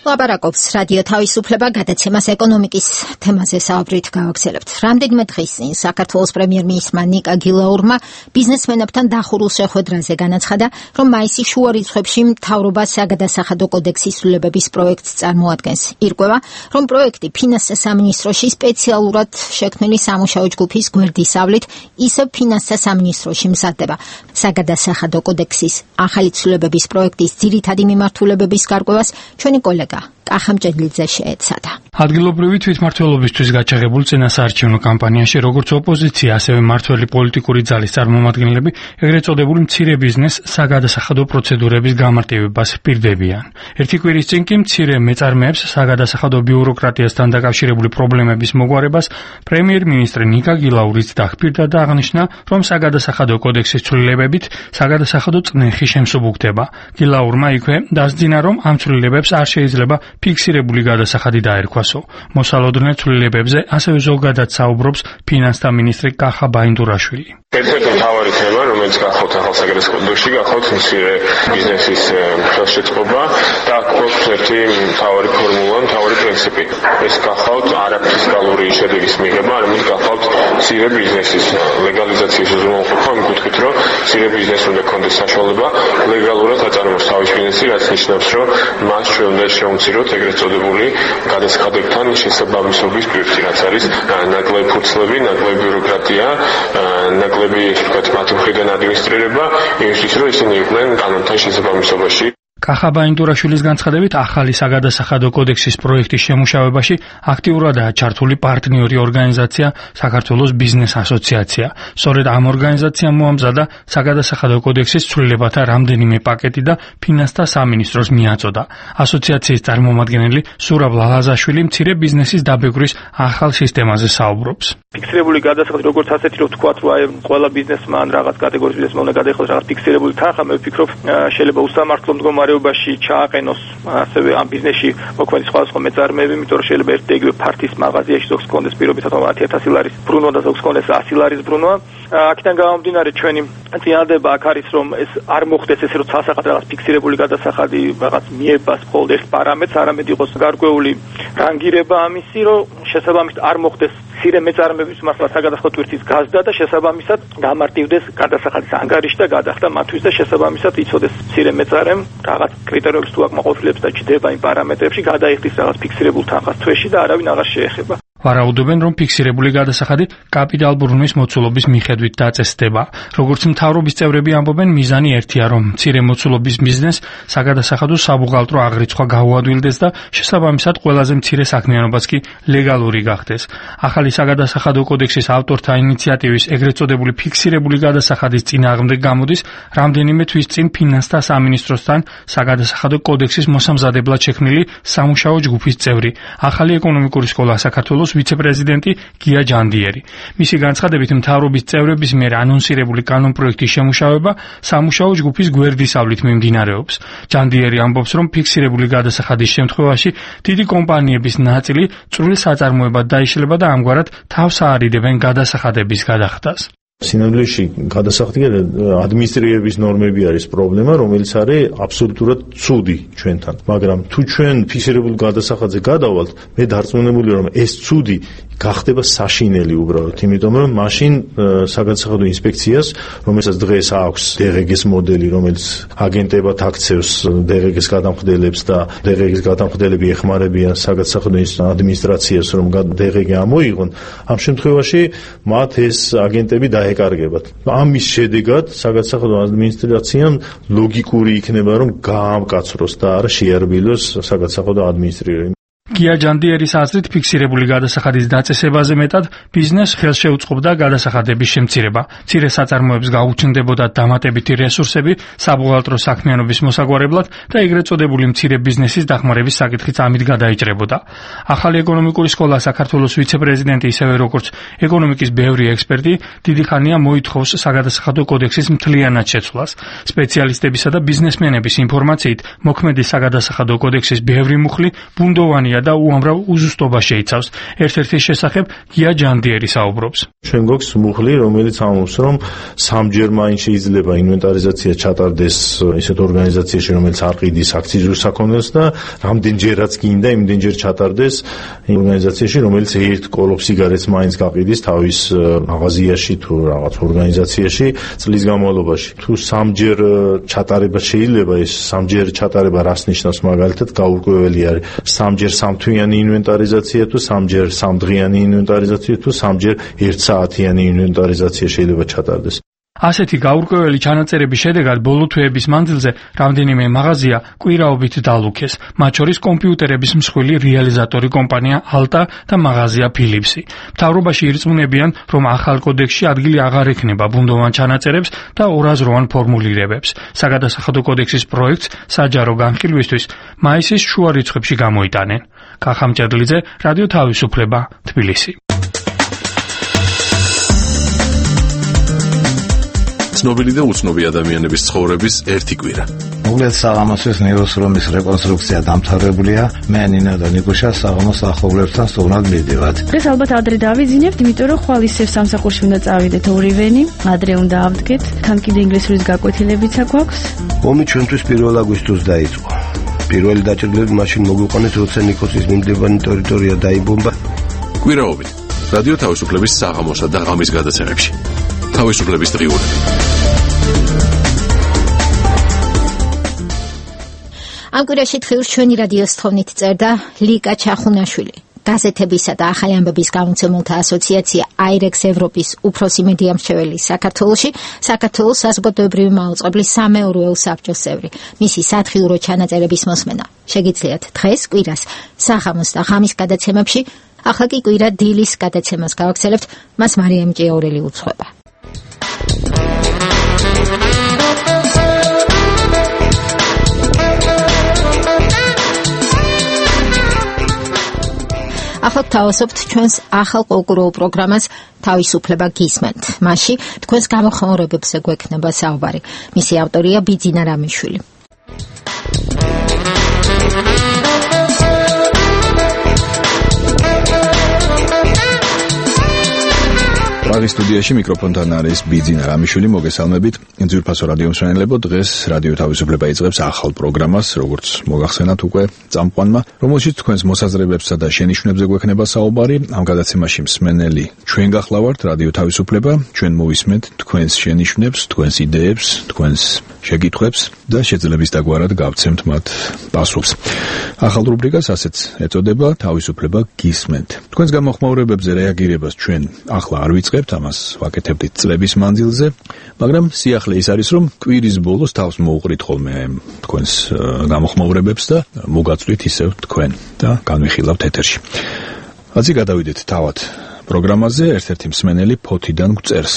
ლაპარაკობს რადიო თავისუფლება გადაცემას ეკონომიკის თემაზე საუბრით გავაგზავნებთ. რამდენიმე დღის წინ საქართველოს პრემიერ-მინისტრმა ნიკა გილაურმა ბიზნესმენებთან დახურულ შეხვედრაზე განაცხადა, რომ მაისის შუა რიცხვებში მთავრობა საგადასახადო კოდექსის ცვლილებების პროექტს წარმოადგენს. ირკვევა, რომ პროექტი ფინანსთა სამინისტროში სპეციალურად შექმნილი სამუშაო ჯგუფის გვერდისავლით ისევ ფინანსთა სამინისტროში მზადდება. საგადასახადო კოდექსის ახალი ცვლილებების პროექტის ძირითადი მიმართულებების გარკვევას ჩვენი კოლეგა კახამჭედლიძე შეეცადა. ადგილობრივი თვითმმართველობისთვის გაჩაღებულ წინასაარჩევნო კამპანიაში როგორც ოპოზიცია, ასევე მმართველი პოლიტიკური ძალის წარმომადგენლები ეგრეთ წოდებული მცირე ბიზნეს საგადასახადო პროცედურების გამარტივებას პირდებიან. ერთი კვირის წინ კი მცირე მეწარმეებს საგადასახადო ბიუროკრატიასთან დაკავშირებული პრობლემების მოგვარებას პრემიერ-მინისტრი ნიკა გილაურიც დახპირდა და აღნიშნა, რომ საგადასახადო კოდექსის ცვლილებებით საგადასახადო წნეხი შემსუბუქდება. გილაურმა იქვე დასძინა, რომ ამ ცვლილებებს არ შეიძლება ფიქსირებული გადასახადი დაერქვასო. მოსალოდნელ ცვლილებებზე ასევე ზოგადად საუბრობს ფინანსთა მინისტრი კახა ბაინდურაშვილი. ერთ-ერთი მთავარი თემა, რომელიც გახავთ ახალ საგადასახადო კოდექსში, გახავთ მცირე ბიზნესის ხელშეწყობა და გვაქვს ერთი მთავარი ფორმულა, მთავარი პრინციპი. ეს გახავთ არაფისკალური შედეგის მიღება, არამედ გახავთ მცირე ბიზნესის ლეგალიზაციის უზრუნველყოფა, იმ კუთხით, რომ მცირე ბიზნესს უნდა ქონდეს საშუალება ლეგალურად აწარმოოს თავის ბიზნესი, რაც ნიშნავს, რომ მას ჩვენ უნდა შევმციროთ ეგრეთ წოდებული გადასახადებთან შესაბამისობის პირთი, რაც არის ნაკლები ფურცლები, ნაკლები ბიუროკრატია, ნაკლები, ესე ვთქვათ, მათი მხრიდან ადმინისტრირება, იმისთვის, რომ ისინი იყვნენ კანონთან შესაბამისობაში. კახა ბაინდურაშვილის განცხადებით, ახალი საგადასახადო კოდექსის პროექტის შემუშავებაში აქტიურადაა ჩართული პარტნიორი ორგანიზაცია საქართველოს ბიზნეს ასოციაცია. სწორედ ამ ორგანიზაციამ მოამზადა საგადასახადო კოდექსის ცვლილებათა რამდენიმე პაკეტი და ფინანსთა სამინისტროს მიაწოდა. ასოციაციის წარმომადგენელი სურაბ ლალაზაშვილი მცირე ბიზნესის დაბეგვრის ახალ სისტემაზე საუბრობს. ფიქსირებული გადასახადი როგორც ასეთი რომ თქვათ, რომ აი ყველა ბიზნესმა ან რაღაც კატეგორიის ბიზნესმა უნდა გადაიხადოს რაღაც ფიქსირებული თანხა, მე ვფიქრობ, შეიძლება უსამართლო მდგომარეობაში ჩააყენოს ასევე ამ ბიზნესში მოქმედი სხვადასხვა მეწარმეები, იმიტომ რომ შეიძლება ერთ და იგივე ფართის მაღაზიაში ზოგს კონდეს პირობითად 10,000 ლარის ბრუნვა და ზოგს კონდეს 100 ლარის ბრუნვა. აქედან გამომდინარე ჩვენი წინადადება აქ არის, რომ ეს არ მოხდეს ესე რომ ცალსახად რაღაც ფიქსირებული გადასახადი რაღაც მიებას მხოლოდ ერთ პარამეტრს, არამედ იყოს გარკვეული რანგირება ამისი, რომ შესაბამისად არ მოხდეს მცირე მეწარმეების მასლა საგადასახადო ტვირთის გაზდა და შესაბამისად გამარტივდეს გადასახადის ანგარიში და გადახდა მათთვის და შესაბამისად იცოდეს მცირე მეწარმემ რაღაც კრიტერიუმებს თუ აკმაყოფილებს და ჩდება იმ პარამეტრებში, გადაიხდის რაღაც ფიქსირებულ თანხას თვეში და არავინ აღარ შეეხება. ვარაუდობენ, რომ ფიქსირებული გადასახადი კაპიტალ ბრუნვის მოცულობის მიხედვით დაწესდება. როგორც მთავრობის წევრები ამბობენ, მიზანი ერთია, რომ მცირე მოცულობის ბიზნესს საგადასახადო საბუღალტრო აღრიცხვა გაუადვილდეს და შესაბამისად ყველაზე მცირე საქმიანობაც კი ლეგალური გახდეს. ახალი საგადასახადო კოდექსის ავტორთა ინიციატივის ეგრეთ წოდებული ფიქსირებული გადასახადის წინააღმდეგ გამოდის რამდენიმე თვის წინ ფინანსთა სამინისტროსთან საგადასახადო კოდექსის მოსამზადებლად შექმნილი სამუშაო ჯგუფის წევრი, ახალი ეკონომიკური სკოლა საქართველოს ვიცე-პრეზიდენტი გია ჯანდიერი. მისი განცხადებით, მთავრობის წევრების მიერ ანონსირებული კანონპროექტის შემუშავება სამუშაო ჯგუფის გვერდისავლით მიმდინარეობს. ჯანდიერი ამბობს, რომ ფიქსირებული გადასახადის შემთხვევაში დიდი კომპანიების ნაწილი წვრილ საწარმოებად დაიშლება და ამგვარად თავს აარიდებენ გადასახადების გადახდას. სინამდვილეში გადასახადი ადმინისტრირების ნორმები არის პრობლემა, რომელიც არის აბსოლუტურად ცუდი ჩვენთან. მაგრამ თუ ჩვენ ფიქსირებულ გადასახადზე გადავალთ, მე დარწმუნებული რომ ეს ცუდი გახდება საშინელი უბრალოდ, იმიტომ რომ მაშინ საგადასახადო ინსპექციას, რომელსაც დღეს აქვს DRG-ს მოდელი, რომელიც აგენტებად აქცევს DRG-ს გადამხდელებს და DRG-ს გადამხდელები ეხმარებიან საგადასახადო ადმინისტრაციას, რომ DRG ამოიღონ, ამ შემთხვევაში მათ ეს აგენტები დაეკარგებათ. ამის შედეგად საგადასახადო ადმინისტრაციამ ლოგიკური იქნება, რომ გაამკაცროს და არა შეარბილოს საგადასახადო ადმინისტრირება. გია ჯანდიერის აზრით ფიქსირებული გადასახადის დაწესებაზე მეტად ბიზნესს ხელს შეუწყობდა გადასახადების შემცირება. მცირე საწარმოებს გაუჩნდებოდა დამატებითი რესურსები საბუღალტრო საქმიანობის მოსაგვარებლად და ეგრეთ წოდებული მცირე ბიზნესის დახმარების საკითხიც ამით გადაიჭრებოდა. ახალი ეკონომიკური სკოლა საქართველოს ვიცე-პრეზიდენტი ისევე როგორც ეკონომიკის ბევრი ექსპერტი დიდი ხანია მოითხოვს საგადასახადო კოდექსის მთლიანად შეცვლას. სპეციალისტებისა და ბიზნესმენების ინფორმაციით მოქმედი საგადასახადო კოდექსის ბევრი მუხლი ბუნდოვანი და უამრავ უზუსტობა შეიცავს. ერთ-ერთი შესახებ გია ჯანდიერი საუბრობს. ჩვენ გვაქვს მუხლი, რომელიც ამბობს, რომ სამჯერ მაინც შეიძლება ინვენტარიზაცია ჩატარდეს ისეთ ორგანიზაციაში, რომელიც არ ყიდის აქციზურ საქონელს და რამდენჯერაც გინდა იმდენჯერ ჩატარდეს ორგანიზაციაში, რომელიც ერთ კოლოფ სიგარეტს მაინც გაყიდის თავის მაღაზიაში თუ რაღაც ორგანიზაციაში წლის განმავლობაში. თუ სამჯერ ჩატარება შეიძლება, ეს სამჯერ ჩატარება რას ნიშნავს? მაგალითად, გაურკვეველი არის სამჯერ სამთვიანი ინვენტარიზაცია თუ სამჯერ სამდღიანი ინვენტარიზაცია თუ სამჯერ 1 საათიანი ინვენტარიზაცია შეიძლება ჩატარდეს. ასეთი გაურკვეველი ჩანაწერების შედეგად ბოლო თვეების მანძილზე რამდენიმე მაღაზია კვირაობით დალუქეს, მათ შორის კომპიუტერების მსხვილი რეალიზატორი კომპანია ალტა და მაღაზია ფილიპსი. მთავრობაში ირწმუნებიან, რომ ახალ კოდექსში ადგილი აღარ ექნება ბუნდოვან ჩანაწერებს და ორაზროვან ფორმულირებებს. საგადასახადო კოდექსის პროექტს საჯარო განხილვისთვის მაისის შუა რიცხვებში გამოიტანენ. კახამჭედლიძე, რადიო თავისუფლება, თბილისი. ცნობილი და უცნობი ადამიანების ცხოვრების ერთი კვირა. მოგლეთ საღამოსის ნიროსრომის რეკონსტრუქცია დამთავრებულია. მე ნინა და ნიკუშა საღამოს ახოვლებთან სტუმრად მივდივართ. დღეს ალბათ ადრე დავიძინებთ, იმიტომ რომ ხვალ ისევ სამსახურში უნდა წავიდეთ ორივენი. ადრე უნდა ავდგეთ. თან კიდე ინგლისურის გაკვეთილებიც აქვს. ომი ჩვენთვის 1 აგვისტოს დაიწყო. პირველი დაჭრილები მაშინ მოგვიყვანეთ, როცა ნიკოსის მიმდებარე ტერიტორია დაიბომბა. კვირაობით რადიო თავისუფლების საღამოსა და ღამის გადაცემებში. თავისუფლების დღიურები. ამ კვირაში დღიურს ჩვენი რადიოს თხოვნით წერდა ლიკა ჩახუნაშვილი. გაზეთებისა და ახალი ამბების გამომცემელთა ასოციაცია აირექს ევროპის უფროსი მედია მრჩეველი საქართველოში, საქართველოს საზოგადოებრივი მაუწყებლის სამეურვეო საბჭოს წევრი. მისი სათხიურო ჩანაწერების მოსმენა შეგიძლიათ დღეს კვირას საღამოს და ღამის გადაცემებში. ახლა კი კვირა დილის გადაცემას გავაგრძელებთ, მას მარიამ ჭიაურელი უძღვება. ახლა თავისუფლად ჩვენს ახალ კულტურულ პროგრამას თავისუფლება გისმენთ. მასში თქვენს გამოხმაურებებზე გვექნება საუბარი. მისი ავტორია ბიძინა რამიშვილი. პრაღის სტუდიაში მიკროფონთან არის ბიძინა რამიშვილი. მოგესალმებით. ძვირფასო რადიო მსმენელებო, დღეს რადიო თავისუფლება იწყებს ახალ პროგრამას, როგორც მოგახსენათ უკვე წამყვანმა, რომელშიც თქვენს მოსაზრებებსა და შენიშვნებზე გვექნება საუბარი. ამ გადაცემაში მსმენელი ჩვენ გახლავართ, რადიო თავისუფლება, ჩვენ მოვისმენთ თქვენს შენიშვნებს, თქვენს იდეებს, თქვენს შეკითხვებს და შეძლების დაგვარად გავცემთ მათ პასუხს. ახალ რუბრიკას ასეც ეწოდება თავისუფლება გისმენთ. თქვენს გამოხმაურებებზე რეაგირებას ჩვენ ახლა არ ვიწყებთ, ამას ვაკეთებდით წლების მანძილზე, მაგრამ სიახლე ის არის, რომ კვირის ბოლოს თავს მოუყრით ხოლმე თქვენს გამოხმაურებებს და მოგაწვით ისევ თქვენ და განვიხილავთ ეთერში. ასე გადავიდეთ თავად პროგრამაზე. ერთ-ერთი მსმენელი ფოთიდან გვწერს.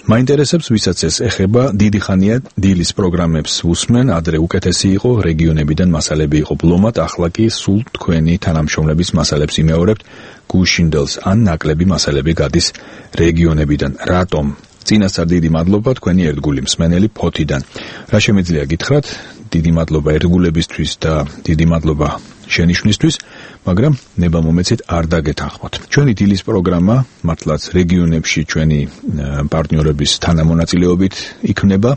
მაინტერესებს, ვისაც ეს ეხება, დიდი ხანია დილის პროგრამებს უსმენ, ადრე უკეთესი იყო, რეგიონებიდან მასალები იყო ბლომად, ახლა კი სულ თქვენი თანამშრომლების მასალებს იმეორებთ, გუშინდელს ან ნაკლები მასალები გადის რეგიონებიდან. რატომ? წინასწარ დიდი მადლობა თქვენი ერთგული მსმენელი ფოთიდან. რა შემიძლია გითხრათ? დიდი მადლობა ერთგულებისთვის და დიდი მადლობა შენიშვნისთვის, მაგრამ ნება მომეცით არ დაგეთანხმოთ. ჩვენი დილის პროგრამა მართლაც რეგიონებში ჩვენი პარტნიორების თანამონაწილეობით იქნება.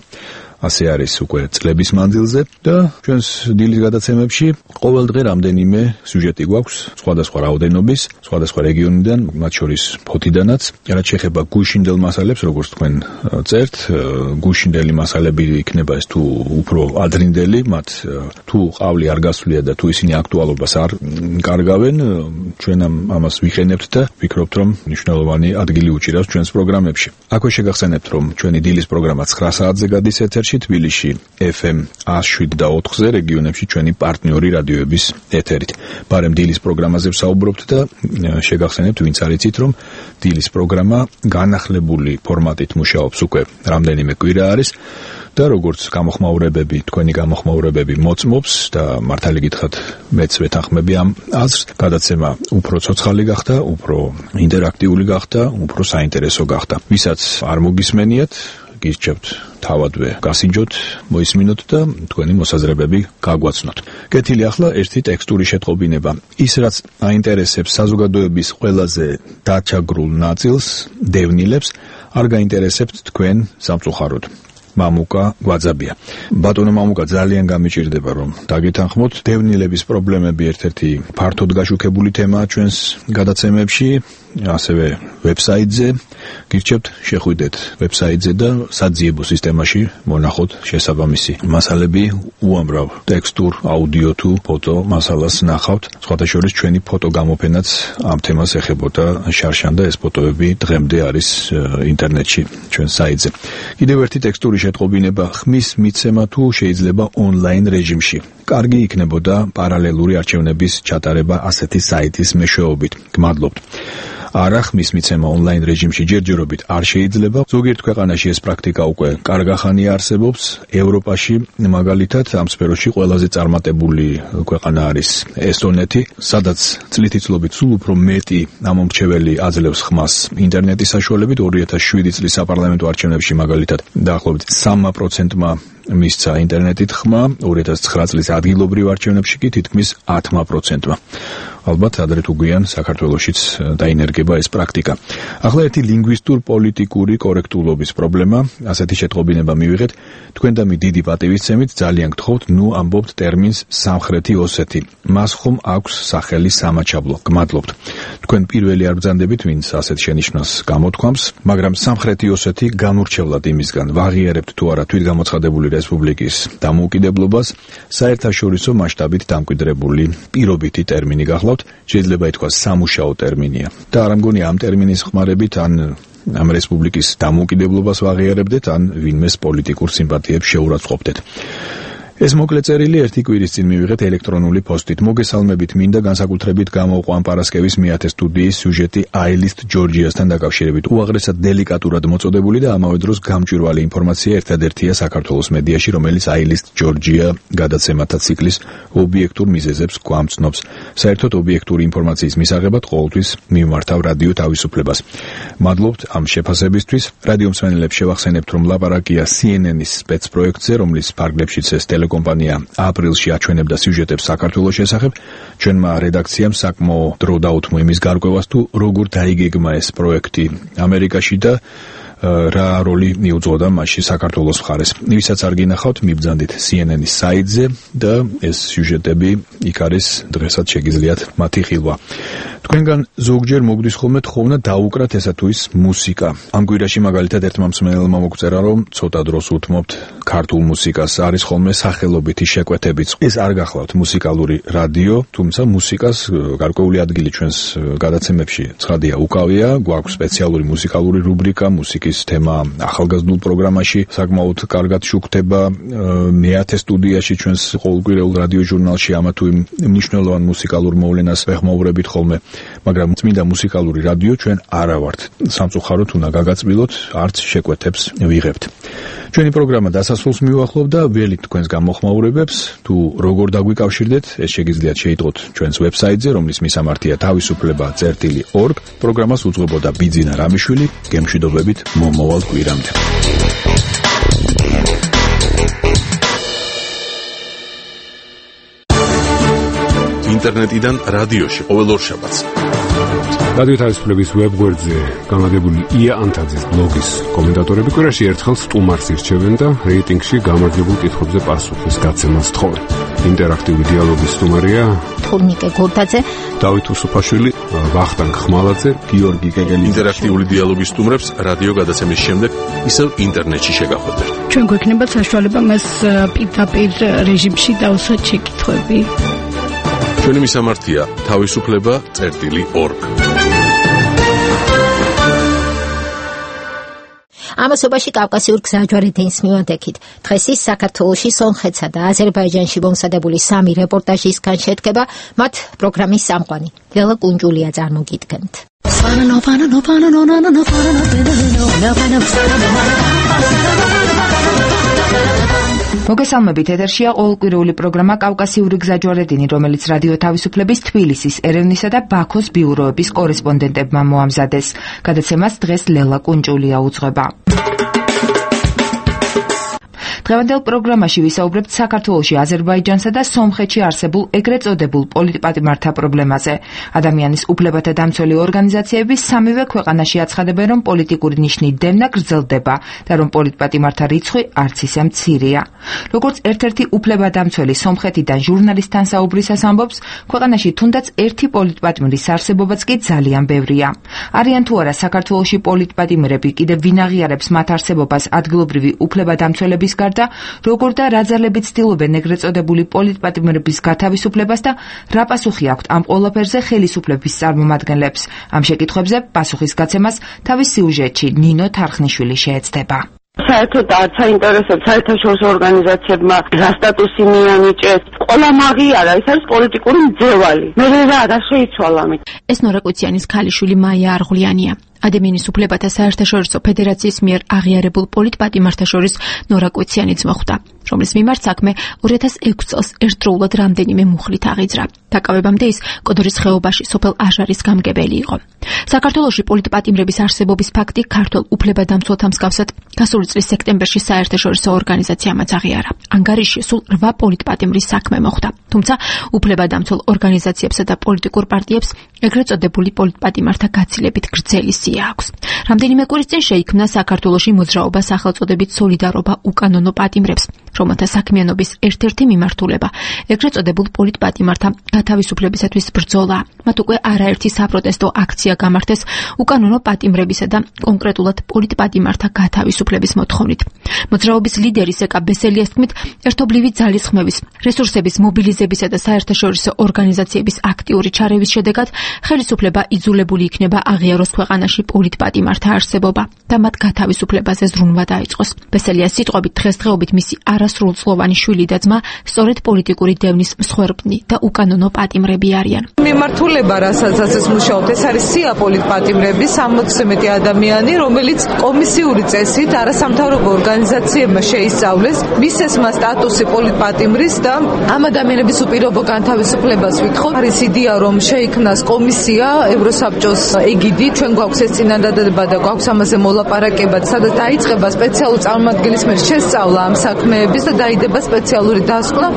ასე არის უკვე წლების მანძილზე და ჩვენს დილის გადაცემებში ყოველ დღე რამდენიმე სიუჟეტი გვაქვს სხვადასხვა რაოდენობის, სხვადასხვა რეგიონიდან, მათ შორის ფოთიდანაც. რაც შეეხება გუშინდელ მასალებს, როგორც თქვენ წერთ, გუშინდელი მასალები იქნება ეს თუ უფრო ადრინდელი, მათ თუ ყავლი არ გასვლია და თუ ისინი აქტუალობას არ კარგავენ, ჩვენ ამას ვიხენებთ და ვფიქრობთ, რომ მნიშვნელოვანი ადგილი უჭირავს ჩვენს პროგრამებში. აქვე შეგახსენებთ, რომ ჩვენი დილის პროგრამა 9 საათზე გადის ეთერში. კავკასიაში, თბილისში FM 107.4-ზე, რეგიონებში ჩვენი პარტნიორი რადიოების ეთერით. ბარემ დილის პროგრამაზე ვსაუბრობთ და შეგახსენებთ, ვინც არ იცით, რომ დილის პროგრამა განახლებული ფორმატით მუშაობს უკვე რამდენიმე კვირა არის და როგორც გამოხმაურებები, თქვენი გამოხმაურებები მოწმობს და მართალი გითხრათ, მეც ვეთანხმები ამ აზრს, გადაცემა უფრო ცოცხალი გახდა, უფრო ინტერაქტიული გახდა, უფრო საინტერესო გახდა. ვისაც არ მოგისმენიათ, გირჩევთ თავადვე გასინჯოთ, მოისმინოთ და თქვენი მოსაზრებები გაგვაცნოთ. კეთილი ახლა ერთი ტექსტური შეტყობინება. ის რაც აინტერესებს საზოგადოების ყველაზე დაჩაგრულ ნაწილს, დევნილებს, არ გაინტერესებთ თქვენ სამწუხაროდ. მამუკა გვაძაბია. ბატონო მამუკა, ძალიან გამიჭირდება რომ დაგეთანხმოთ. დევნილების პრობლემები ერთ-ერთი ფართოდ გაშუქებული თემაა ჩვენს გადაცემებში, ასევე ვებსაიტზე. გირჩევთ შეხვიდეთ ვებსაიტზე და საძიებო სისტემაში მონახოთ შესაბამისი მასალები, უამრავ ტექსტურ, აუდიო თუ ფოტო მასალას ნახავთ. სხვათა შორის ჩვენი ფოტო გამოფენაც ამ თემას ეხებოდა შარშან და ეს ფოტოები დღემდე არის ინტერნეტში ჩვენ საიტზე. კიდევ ერთი ტექსტური შეტყობინება, ხმის მიცემა თუ შეიძლება ონლაინ რეჟიმში. კარგი იქნებოდა პარალელური არჩევნების ჩატარება ასეთი საიტის მეშვეობით. გმადლობთ. არა, ხმის მიცემა ონლაინ რეჟიმში ჯერჯერობით არ შეიძლება. ზოგიერთ ქვეყანაში ეს პრაქტიკა უკვე კარგახანია არსებობს. ევროპაში მაგალითად ამ სფეროში ყველაზე წარმატებული ქვეყანა არის ესტონეთი, სადაც წლითიცლობით სულ უფრო მეტი ამომრჩეველი აძლევს ხმას ინტერნეტის საშუალებით. 2007 წლის საპარლამენტო არჩევნებში მაგალითად დაახლოებით 3%-მა მისცა ინტერნეტით ხმა, 2009 წლის ადგილობრივ არჩევნებში კი თითქმის 10%-მა. ალბათ ადრე თუ გვიან საქართველოშიც დაინერგება ეს პრაქტიკა. ახლა ერთი ლინგვისტურ-პოლიტიკური კორექტულობის პრობლემა, ასეთი შეტყობინება მივიღეთ. თქვენ და მე დიდი პატივისცემით ძალიან გთხოვთ, ნუ ამბობთ ტერმინს სამხრეთი ოსეთი. მას ხომ აქვს სახელი სამაჩაბლო. გმადლობთ. თქვენ პირველი არ ბრძანდებით, ვინც ასეთ შენიშვნას გამოთქვამს, მაგრამ სამხრეთი ოსეთი განურჩევლად იმისგან ვაღიარებთ თუ არა თვითგამოცხადებული რესპუბლიკის დამოუკიდებლობას, საერთაშორისო მასშტაბით დამკვიდრებული პირობითი ტერმინი გახლავთ. შეიძლება ითქვას სამუშაო ტერმინია. და არ მგონია ამ ტერმინის ხმარებით ან ამ რესპუბლიკის დამოუკიდებლობას ვაღიარებდეთ, ან ვინმეს პოლიტიკურ სიმპათიებს შეურაცხყოფდეთ. ეს მოკლე წერილი ერთი კვირის წინ მივიღეთ ელექტრონული პოსტით. მოგესალმებით, მინდა განსაკუთრებით გამოვყვა ამ პარასკევის მეათე სტუდიის სიუჟეტი აილისტ ჯორჯიასთან დაკავშირებით. უაღრესად დელიკატურად მოწოდებული და ამავე დროს გამჭვირვალე ინფორმაცია ერთადერთია საქართველოს მედიაში, რომელიც აილისტ ჯორჯია გადაცემათა ციკლის ობიექტურ მიზეზებს გვამცნობს. საერთოდ ობიექტური ინფორმაციის მისაღებად ყოველთვის მიმართავ რადიო თავისუფლებას. მადლობთ ამ შეფასებისთვის. რადიო მსმენელებს შევახსენებთ, რომ ლაპარაკია CNN-ის სპეცპროექტზე, რომლის ფარგლებშიც ეს კომპანია აპრილში აჩვენებდა სიუჟეტებს საქართველოს შესახებ. ჩვენმა რედაქციამ საკმაო დრო დაუთმო იმის გარკვევას, თუ როგორ დაიგეგმა ეს პროექტი ამერიკაში და რა როლი მიუძღოდა მასში საქართველოს მხარეს. ვისაც არ გინახავთ, მიბრძანდით CNN-ის საიტზე და ეს სიუჟეტები იქ არის, დღესაც შეგიძლიათ მათი ხილვა. თქვენგან ზოგჯერ მოგდის ხოლმე თხოვნა დაუკრათ ესა თუ ის მუსიკა. ამ კვირაში მაგალითად ერთმა მსმენელმა მოგწერა, რომ ცოტა დროს უთმობთ ქართულ მუსიკას, არის ხოლმე სახელობითი შეკვეთებიც. ეს არ გახლავთ მუსიკალური რადიო, თუმცა მუსიკას გარკვეული ადგილი ჩვენს გადაცემებში ცხადია უკავია. გვაქვს სპეციალური მუსიკალური რუბრიკა, მუსიკის თემა ახალგაზრდულ პროგრამაში საკმაოდ კარგად შუქდება. მეათე სტუდიაში ჩვენს ყოველკვირეულ რადიო ჟურნალში ამა თუ იმ მნიშვნელოვან მუსიკალურ მოვლენას ვეხმაურებით ხოლმე. მაგრამ წმინდა მუსიკალური რადიო ჩვენ არა ვართ. სამწუხაროდ უნდა გაგაწმილოთ, არც შეკვეთებს ვიღებთ. ჩვენი პროგრამა დასასრულს მივახლოვ და ველით თქვენს გამოხმაურებებს, თუ როგორ დაგვიკავშირდეთ, ეს შეგიძლიათ შეიტყოთ ჩვენს ვებსაიტზე, რომლის მისამართია თავისუფლება.org. პროგრამას უძღვებოდა ბიძინა რამიშვილი. გემშვიდობებით მომავალ კვირამდე. ინტერნეტიდან რადიოში ყოველ ორშაბათს. რადიო თავისუფლების ვებგვერდზე გამაგებული ია ანთაძის ბლოგის კომენტატორები კვირაში ერთხელ სტუმარს ირჩევენ და რეიტინგში გამარჯვებულ კითხვებზე პასუხის გაცემას თხოვენ. ინტერაქტიული დიალოგის სტუმარია თურნიკე გორდაძე, დავით უსუფაშვილი, ვახტანგ ხმალაძე, გიორგი კეგელი. ინტერაქტიული დიალოგის სტუმრებს რადიო გადაცემის შემდეგ ისევ ინტერნეტში შეგახვედრთ. ჩვენ გვექნება საშუალება მას პირდაპირ რეჟიმში დავუსვათ შეკითხვები. ჩვენი მისამართია თავისუფლება.org. ამასობაში კავკასიურ გზაჯვარედინს მივანდექით. დღეს ის საქართველოში, სომხეთსა და აზერბაიჯანში მომზადებული 3 რეპორტაჟისგან შედგება, მათ პროგრამის სამყარო. ლელა კუნჯულია წარმოგიდგენთ. მოგესალმებით, ეთერშია ყოველკვირეული პროგრამა კავკასიური გზაჯვარედინი, რომელიც რადიო თავისუფლების თბილისის, ერევნისა და ბაქოს ბიუროების კორესპონდენტებმა მოამზადეს. გადაცემას დღეს ლელა კუნჯულია უძღვება. დღევანდელ პროგრამაში ვისაუბრებთ საქართველოში, აზერბაიჯანსა და სომხეთში არსებულ ეგრეთ წოდებულ პოლიტპატიმართა პრობლემაზე. ადამიანის უფლებათა დამცველი ორგანიზაციები სამივე ქვეყანაში აცხადებენ, რომ პოლიტიკური ნიშნით დევნა გრძელდება და რომ პოლიტპატიმართა რიცხვი არც ისე მცირეა. როგორც ერთ-ერთი უფლებადამცველი სომხეთიდან ჟურნალისტთან საუბრისას ამბობს, ქვეყანაში თუნდაც ერთი პოლიტპატიმრის არსებობაც კი ძალიან ბევრია. არიან თუ არა საქართველოში პოლიტპატიმრები, კიდევ ვინ აღიარებს მათ არსებობას ადგილობრივი უფლებადამცველების გარდა, როგორ და რა ძალებით ცდილობენ ეგრეთ წოდებული პოლიტპატიმრების გათავისუფლებას და რა პასუხი აქვთ ამ ყველაფერზე ხელისუფლების წარმომადგენლებს. ამ შეკითხვებზე პასუხის გაცემას თავის სიუჟეტში ნინო თარხნიშვილი შეეცდება. საერთოდ არც აინტერესებს საერთაშორისო ორგანიზაციებმა რა სტატუსი მიანიჭეს. ყველა მაღიარა, ეს არის პოლიტიკური მძევალი. მე რა შეიცვალა ამით. ეს ნორა კუციანის ქალიშვილი მაია არღვლიანია. ადამიანის უფლებათა საერთაშორისო ფედერაციის მიერ აღიარებულ პოლიტპატიმართა შორის ნორა კუციანიც მოხვდა, რომლის მიმართ საქმე 2006 წელს ერთდროულად რამდენიმე მუხლით აღიძრა. დაკავებამდე ის კოდორის ხეობაში სოფელ აჟარის გამგებელი იყო. საქართველოში პოლიტპატიმრების არსებობის ფაქტი ქართულ უფლებადამცველთა მსგავსად გასული წლის სექტემბერში საერთაშორისო ორგანიზაციამაც აღიარა. ანგარიშში სულ 8 პოლიტპატიმრის საქმე მოხვდა, თუმცა უფლებადამცველ ორგანიზაციებსა და პოლიტიკურ პარტიებს ეგრეთ წოდებული პოლიტპატიმართა გაცილებით გრძელი სია აქვს. რამდენიმე კვირის წინ შეიქმნა საქართველოში მოძრაობა სახელწოდებით სოლიდარობა უკანონო პატიმრებს, რომელთა საქმიანობის ერთ-ერთი მიმართულება ეგრეთ წოდებულ პოლიტპატიმართა გათავისუფლებისათვის ბრძოლა. მათ უკვე არაერთი საპროტესტო აქცია გამართეს უკანონო პატიმრებისა და კონკრეტულად პოლიტპატიმართა გათავისუფლების მოთხოვნით. მოძრაობის ლიდერის ეკა ბესელიას თქმით, ერთობლივი ძალისხმევის, რესურსების მობილიზებისა და საერთაშორისო ორგანიზაციების აქტიური ჩარევის შედეგად ხელისუფლება იძულებული იქნება აღიაროს ქვეყანაში პოლიტპატიმართა არსებობა და მათ გათავისუფლებაზე ზრუნვა დაიწყოს. ბესელიას სიტყვებით, დღესდღეობით მისი არასრულწლოვანი შვილი და ძმა სწორედ პოლიტიკური დევნის მსხვერპლი და უკანონო პატიმრები არიან. მიმართულება, რასაც ეს მუშაობთ, ეს არის სია პოლიტპატიმრების 60-ზე მეტი ადამიანი, რომელიც კომისიური წესით არასამთავრობო ორგანიზაციებმა შეისწავლეს მისცემა სტატუსი პოლიტპატიმრის და ამ ადამიანების უპირობო განთავისუფლებას ვითხოვთ. არის იდეა, რომ შეიქმნას კომისია ევროსაბჭოს ეგიდით, ჩვენ გვაქვს ეს წინადადება და გვაქვს ამაზე მოლაპარაკება, სადაც დაიწყება სპეციალური წარმომადგენლის მიერ შესწავლა ამ საქმეების და დაიდება სპეციალური დასკვნა.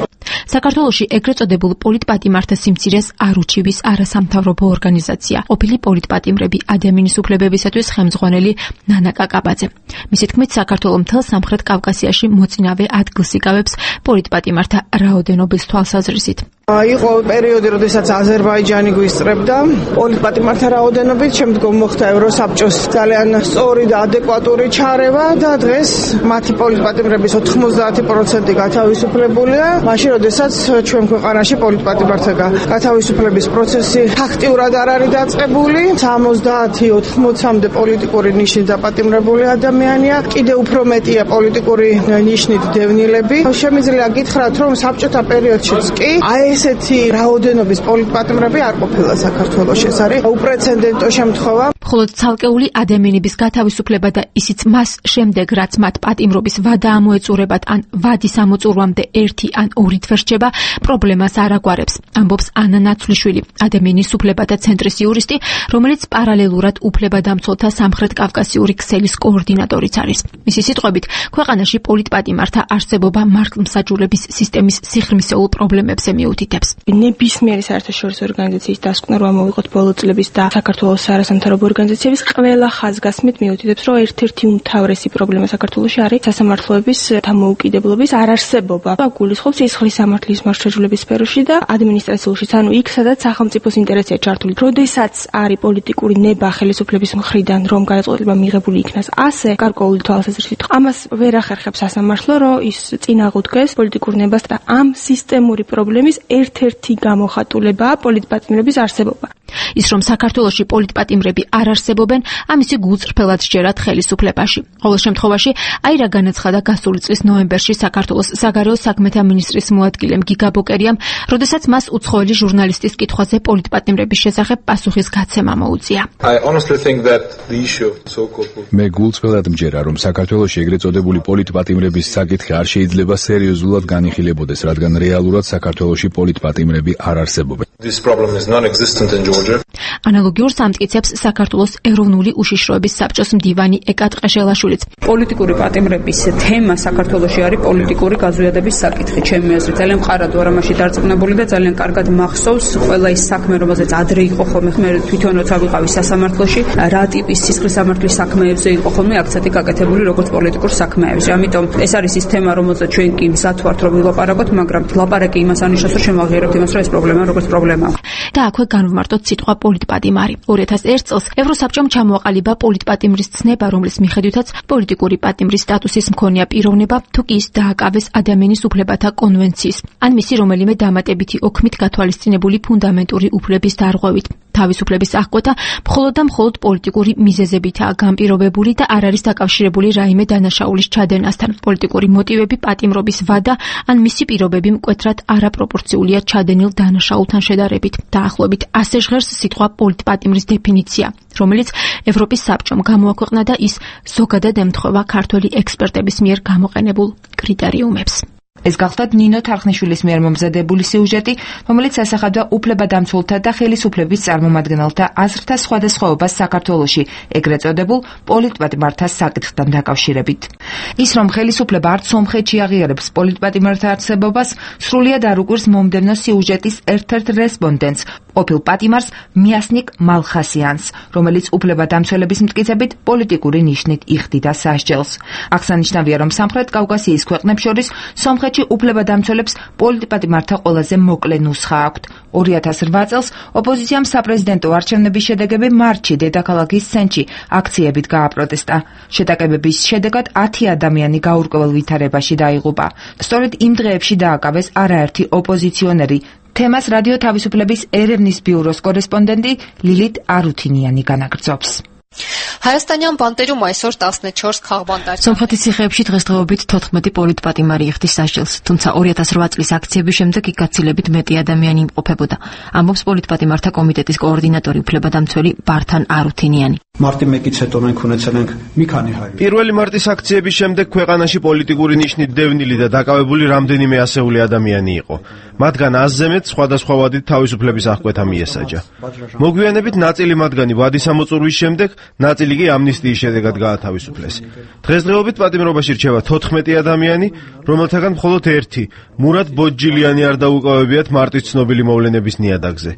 საქართველოში ეგრეთ წოდებულ პოლიტპატიმართა სიმცირეს არ უჩივის არასამთავრობო ორგანიზაცია, ყოფილი პოლიტპატიმრები ადამიანის უფლებებისათვის ხელმძღვანელი ნანა კაკაბაძე. მისი თქმით, საქართველოს მთელ სამხრეთ კავკასიაში მოწინავე ადგილს იკავებს პოლიტპატიმართა რაოდენობის თვალსაზრისით. იყო პერიოდი, როდესაც აზერბაიჯანი გვისწრებდა პოლიტპატიმართა რაოდენობით, შემდგომ მოხდა ევროსაბჭოს ძალიან სწორი და ადეკვატური ჩარევა და დღეს მათი პოლიტპატიმრების 90% გათავისუფლებულია. მაშინ, როდესაც ჩვენ ქვეყანაში პოლიტპატიმართა გათავისუფლების პროცესი ფაქტიურად არ არის დაწყებული, 70-80-მდე პოლიტიკური ნიშნით დაპატიმრებული ადამიანია, კიდევ უფრო მეტია პოლიტიკური ნიშნით დევნილები. შემიძლია გითხრათ, რომ საბჭოთა პერიოდშიც კი ესეთი რაოდენობის პოლიტპატიმრები არ ყოფილა საქართველოში. ეს არის უპრეცედენტო შემთხვევა. მხოლოდ ცალკეული ადამიანების გათავისუფლება და ისიც მას შემდეგ, რაც მათ პატიმრობის ვადა ამოეწურებათ ან ვადის ამოწურვამდე 1 ან 2 თვე რჩება, პრობლემას არ აგვარებს, ამბობს ანა ნაცვლიშვილი, ადამიანის უფლებათა ცენტრის იურისტი, რომელიც პარალელურად უფლებადამცველთა სამხრეთ კავკასიური ქსელის კოორდინატორიც არის. მისი სიტყვებით, ქვეყანაში პოლიტპატიმართა არსებობა მართლმსაჯულების სისტემის სიღრმისეულ პრობლემებზე მიუთითებს. ნებისმიერი საერთაშორისო ორგანიზაციის დასკვნა, რომ ამოვიღოთ ბოლო წლების და საქართველოს არასამთავრობო ორგანიზაციების ყველა ხაზგასმით მიუთითებს, რომ ერთ-ერთი უმთავრესი პრობლემა საქართველოში არის სასამართლოების დამოუკიდებლობის არარსებობა. გულისხმობს სისხლის სამართლის მარშაჟულების სფეროში და ადმინისტრაციულშიც, ანუ იქ, სადაც სახელმწიფოს ინტერესია ჩართული. როდესაც არის პოლიტიკური ნება ხელისუფლების მხრიდან, რომ გადაწყვეტილება მიღებული იქნას ასე გარკვეული თვალსაზრისით, ამას ვერ ახერხებს სასამართლო, რომ ის წინ აღუდგეს პოლიტიკურ ნებას და ამ სისტემური პრობლემის ერთ-ერთი გამოხატულებაა პოლიტპატიმრების არსებობა. ის რომ საქართველოში პოლიტპატიმრები არ არსებობენ, ამისი გულწრფელად სჯერათ ხელისუფლებაში. ყოველ შემთხვევაში, აი რა განაცხადა გასული წლის ნოემბერში საქართველოს საგარეო საქმეთა მინისტრის მოადგილემ გიგა ბოკერიამ, როდესაც მას უცხოელი ჟურნალისტის კითხვაზე პოლიტპატიმრების შესახებ პასუხისგაცემა მოუწია. მე გულწრფელად მჯერა, რომ საქართველოში ეგრეთ წოდებული პოლიტპატიმრების საკითხი არ შეიძლება სერიოზულად განიხილებოდეს, რადგან რეალურად საქართველოში პოლიტპატიმრები არ არსებობენ. ანალოგიურ სამტკიცებს საქართველოს ეროვნული უშიშროების საბჭოს მდივანი ეკა ტყეშელაშვილიც. პოლიტიკური პატიმრების თემა საქართველოში არის პოლიტიკური გაზვიადების საკითხი. ჩემი აზრით, ძალიან მყარად ვარ ამაში დარწმუნებული და ძალიან კარგად მახსოვს ყველა ის საქმე, რომელზეც ადრე იყო ხოლმე, მე თვითონ როცა ვიყავი სასამართლოში, რა ტიპის სისხლის სამართლის საქმეებზე იყო ხოლმე აქცენტი გაკეთებული როგორც პოლიტიკურ საქმეებზე. ამიტომ ეს არის ის თემა, რომელზეც ჩვენ კი მზად ვართ რომ ვილაპარაკოთ, მაგრამ ლაპარაკი იმას ანიშნავს, რომ შემოაღიარებთ იმას, რომ ეს პრობლემა როგორც პრობლემაა. და აქვე განვმარტოთ სიტყვა პოლიტპატიმარი. 2001 წელს ევროსაბჭომ ჩამოაყალიბა პოლიტპატიმრის ცნება, რომლის მიხედვითაც პოლიტიკური პატიმრის სტატუსის მქონეა პიროვნება, თუ კი ის დააკავეს ადამიანის უფლებათა კონვენციის, ან მისი რომელიმე დამატებითი ოქმით გათვალისწინებული ფუნდამენტური უფლების დარღვევით. თავისუფლების აღკვეთა მხოლოდ და მხოლოდ პოლიტიკური მიზეზებითაა განპირობებული და არ არის დაკავშირებული რაიმე დანაშაულის ჩადენასთან. პოლიტიკური მოტივები, პატიმრობის ვადა ან მისი პირობები მკვეთრად არაპროპორციულია ჩადენილ დანაშაულთან შედარებით. დაახლოებით ასე ჟღერს სიტყვა პოლიტპატიმრის დეფინიცია, რომელიც ევროპის საბჭომ გამოაქვეყნა და ის ზოგადად ემთხვევა ქართველი ექსპერტების მიერ გამოყენებულ კრიტერიუმებს. ეს გახლდათ ნინო თარხნიშვილის მიერ მომზადებული სიუჟეტი, რომელიც ასახავდა უფლებადამცველთა და ხელისუფლების წარმომადგენელთა აზრთა სხვადასხვაობას საქართველოში, ეგრეთ წოდებულ პოლიტპატიმართა საკითხთან დაკავშირებით. ის რომ ხელისუფლება არც სომხეთში აღიარებს პოლიტპატიმართა არსებობას, სრულიად არ უკვირს მომდევნო სიუჟეტის ერთ-ერთ რესპონდენტს, ყოფილ პატიმარს მიასნიკ მალხასიანს, რომელიც უფლებადამცველების მტკიცებით პოლიტიკური ნიშნით იხდიდა სასჯელს. აღსანიშნავია, რომ სამხრეთ კავკასიის ქვეყნებს შორის სომხეთში უფლებადამცველებს პოლიტპატიმართა ყველაზე მოკლე ნუსხა აქვთ. 2008 წელს ოპოზიციამ საპრეზიდენტო არჩევნების შედეგები მარტში დედაქალაქის სენჩი აქციებით გააპროტესტა. შეტაკებების შედეგად 10 ადამიანი გაურკვეველ ვითარებაში დაიღუპა. სწორედ იმ დღეებში დააკავეს არაერთი ოპოზიციონერი. თემას რადიო თავისუფლების ერევნის ბიუროს კორესპონდენტი ლილით არუთინიანი განაგრძობს. Հայաստանյան բանտերում այսօր 14 քաղբանտար. Սոմխეთის ციხეებში დღესდღეობით 14 პოლიტპატიმარი იხდის სასჯელს, თუმცა 2008 წლის აქციების შემდეგ იქ გაცილებით მეტი ადამიანი იმყოფებოდა. ამბობს პოლიტპატიმართა კომიტეტის კოორდინატორი უფლებადამცველი ბართან არუთინიანი. მარტი 1-ից հետո մենք ունեցել մի քանի հայ. პირველი მარტის აქციების შემდეგ ქვეყანაში პოლიტიკური ნიშნით დევნილი და დაკავებული რამდენიმე ასეული ადამიანი იყო. მათგან 100-ზე მეტ სხვადასხვა ვადით თავისუფლების აღკვეთა მიესაჯა. მოგვიანებით ნაწილი მათგანი ვადის ამოწურვის შემდეგ, ნაწილი კი ამნისტიის შედეგად გაათავისუფლეს. დღესდღეობით პატიმრობაში რჩება 14 ადამიანი, რომელთაგან მხოლოდ ერთი, მურატ ბოჯილიანი არ დაუკავებიათ მარტის ცნობილი მოვლენების ნიადაგზე.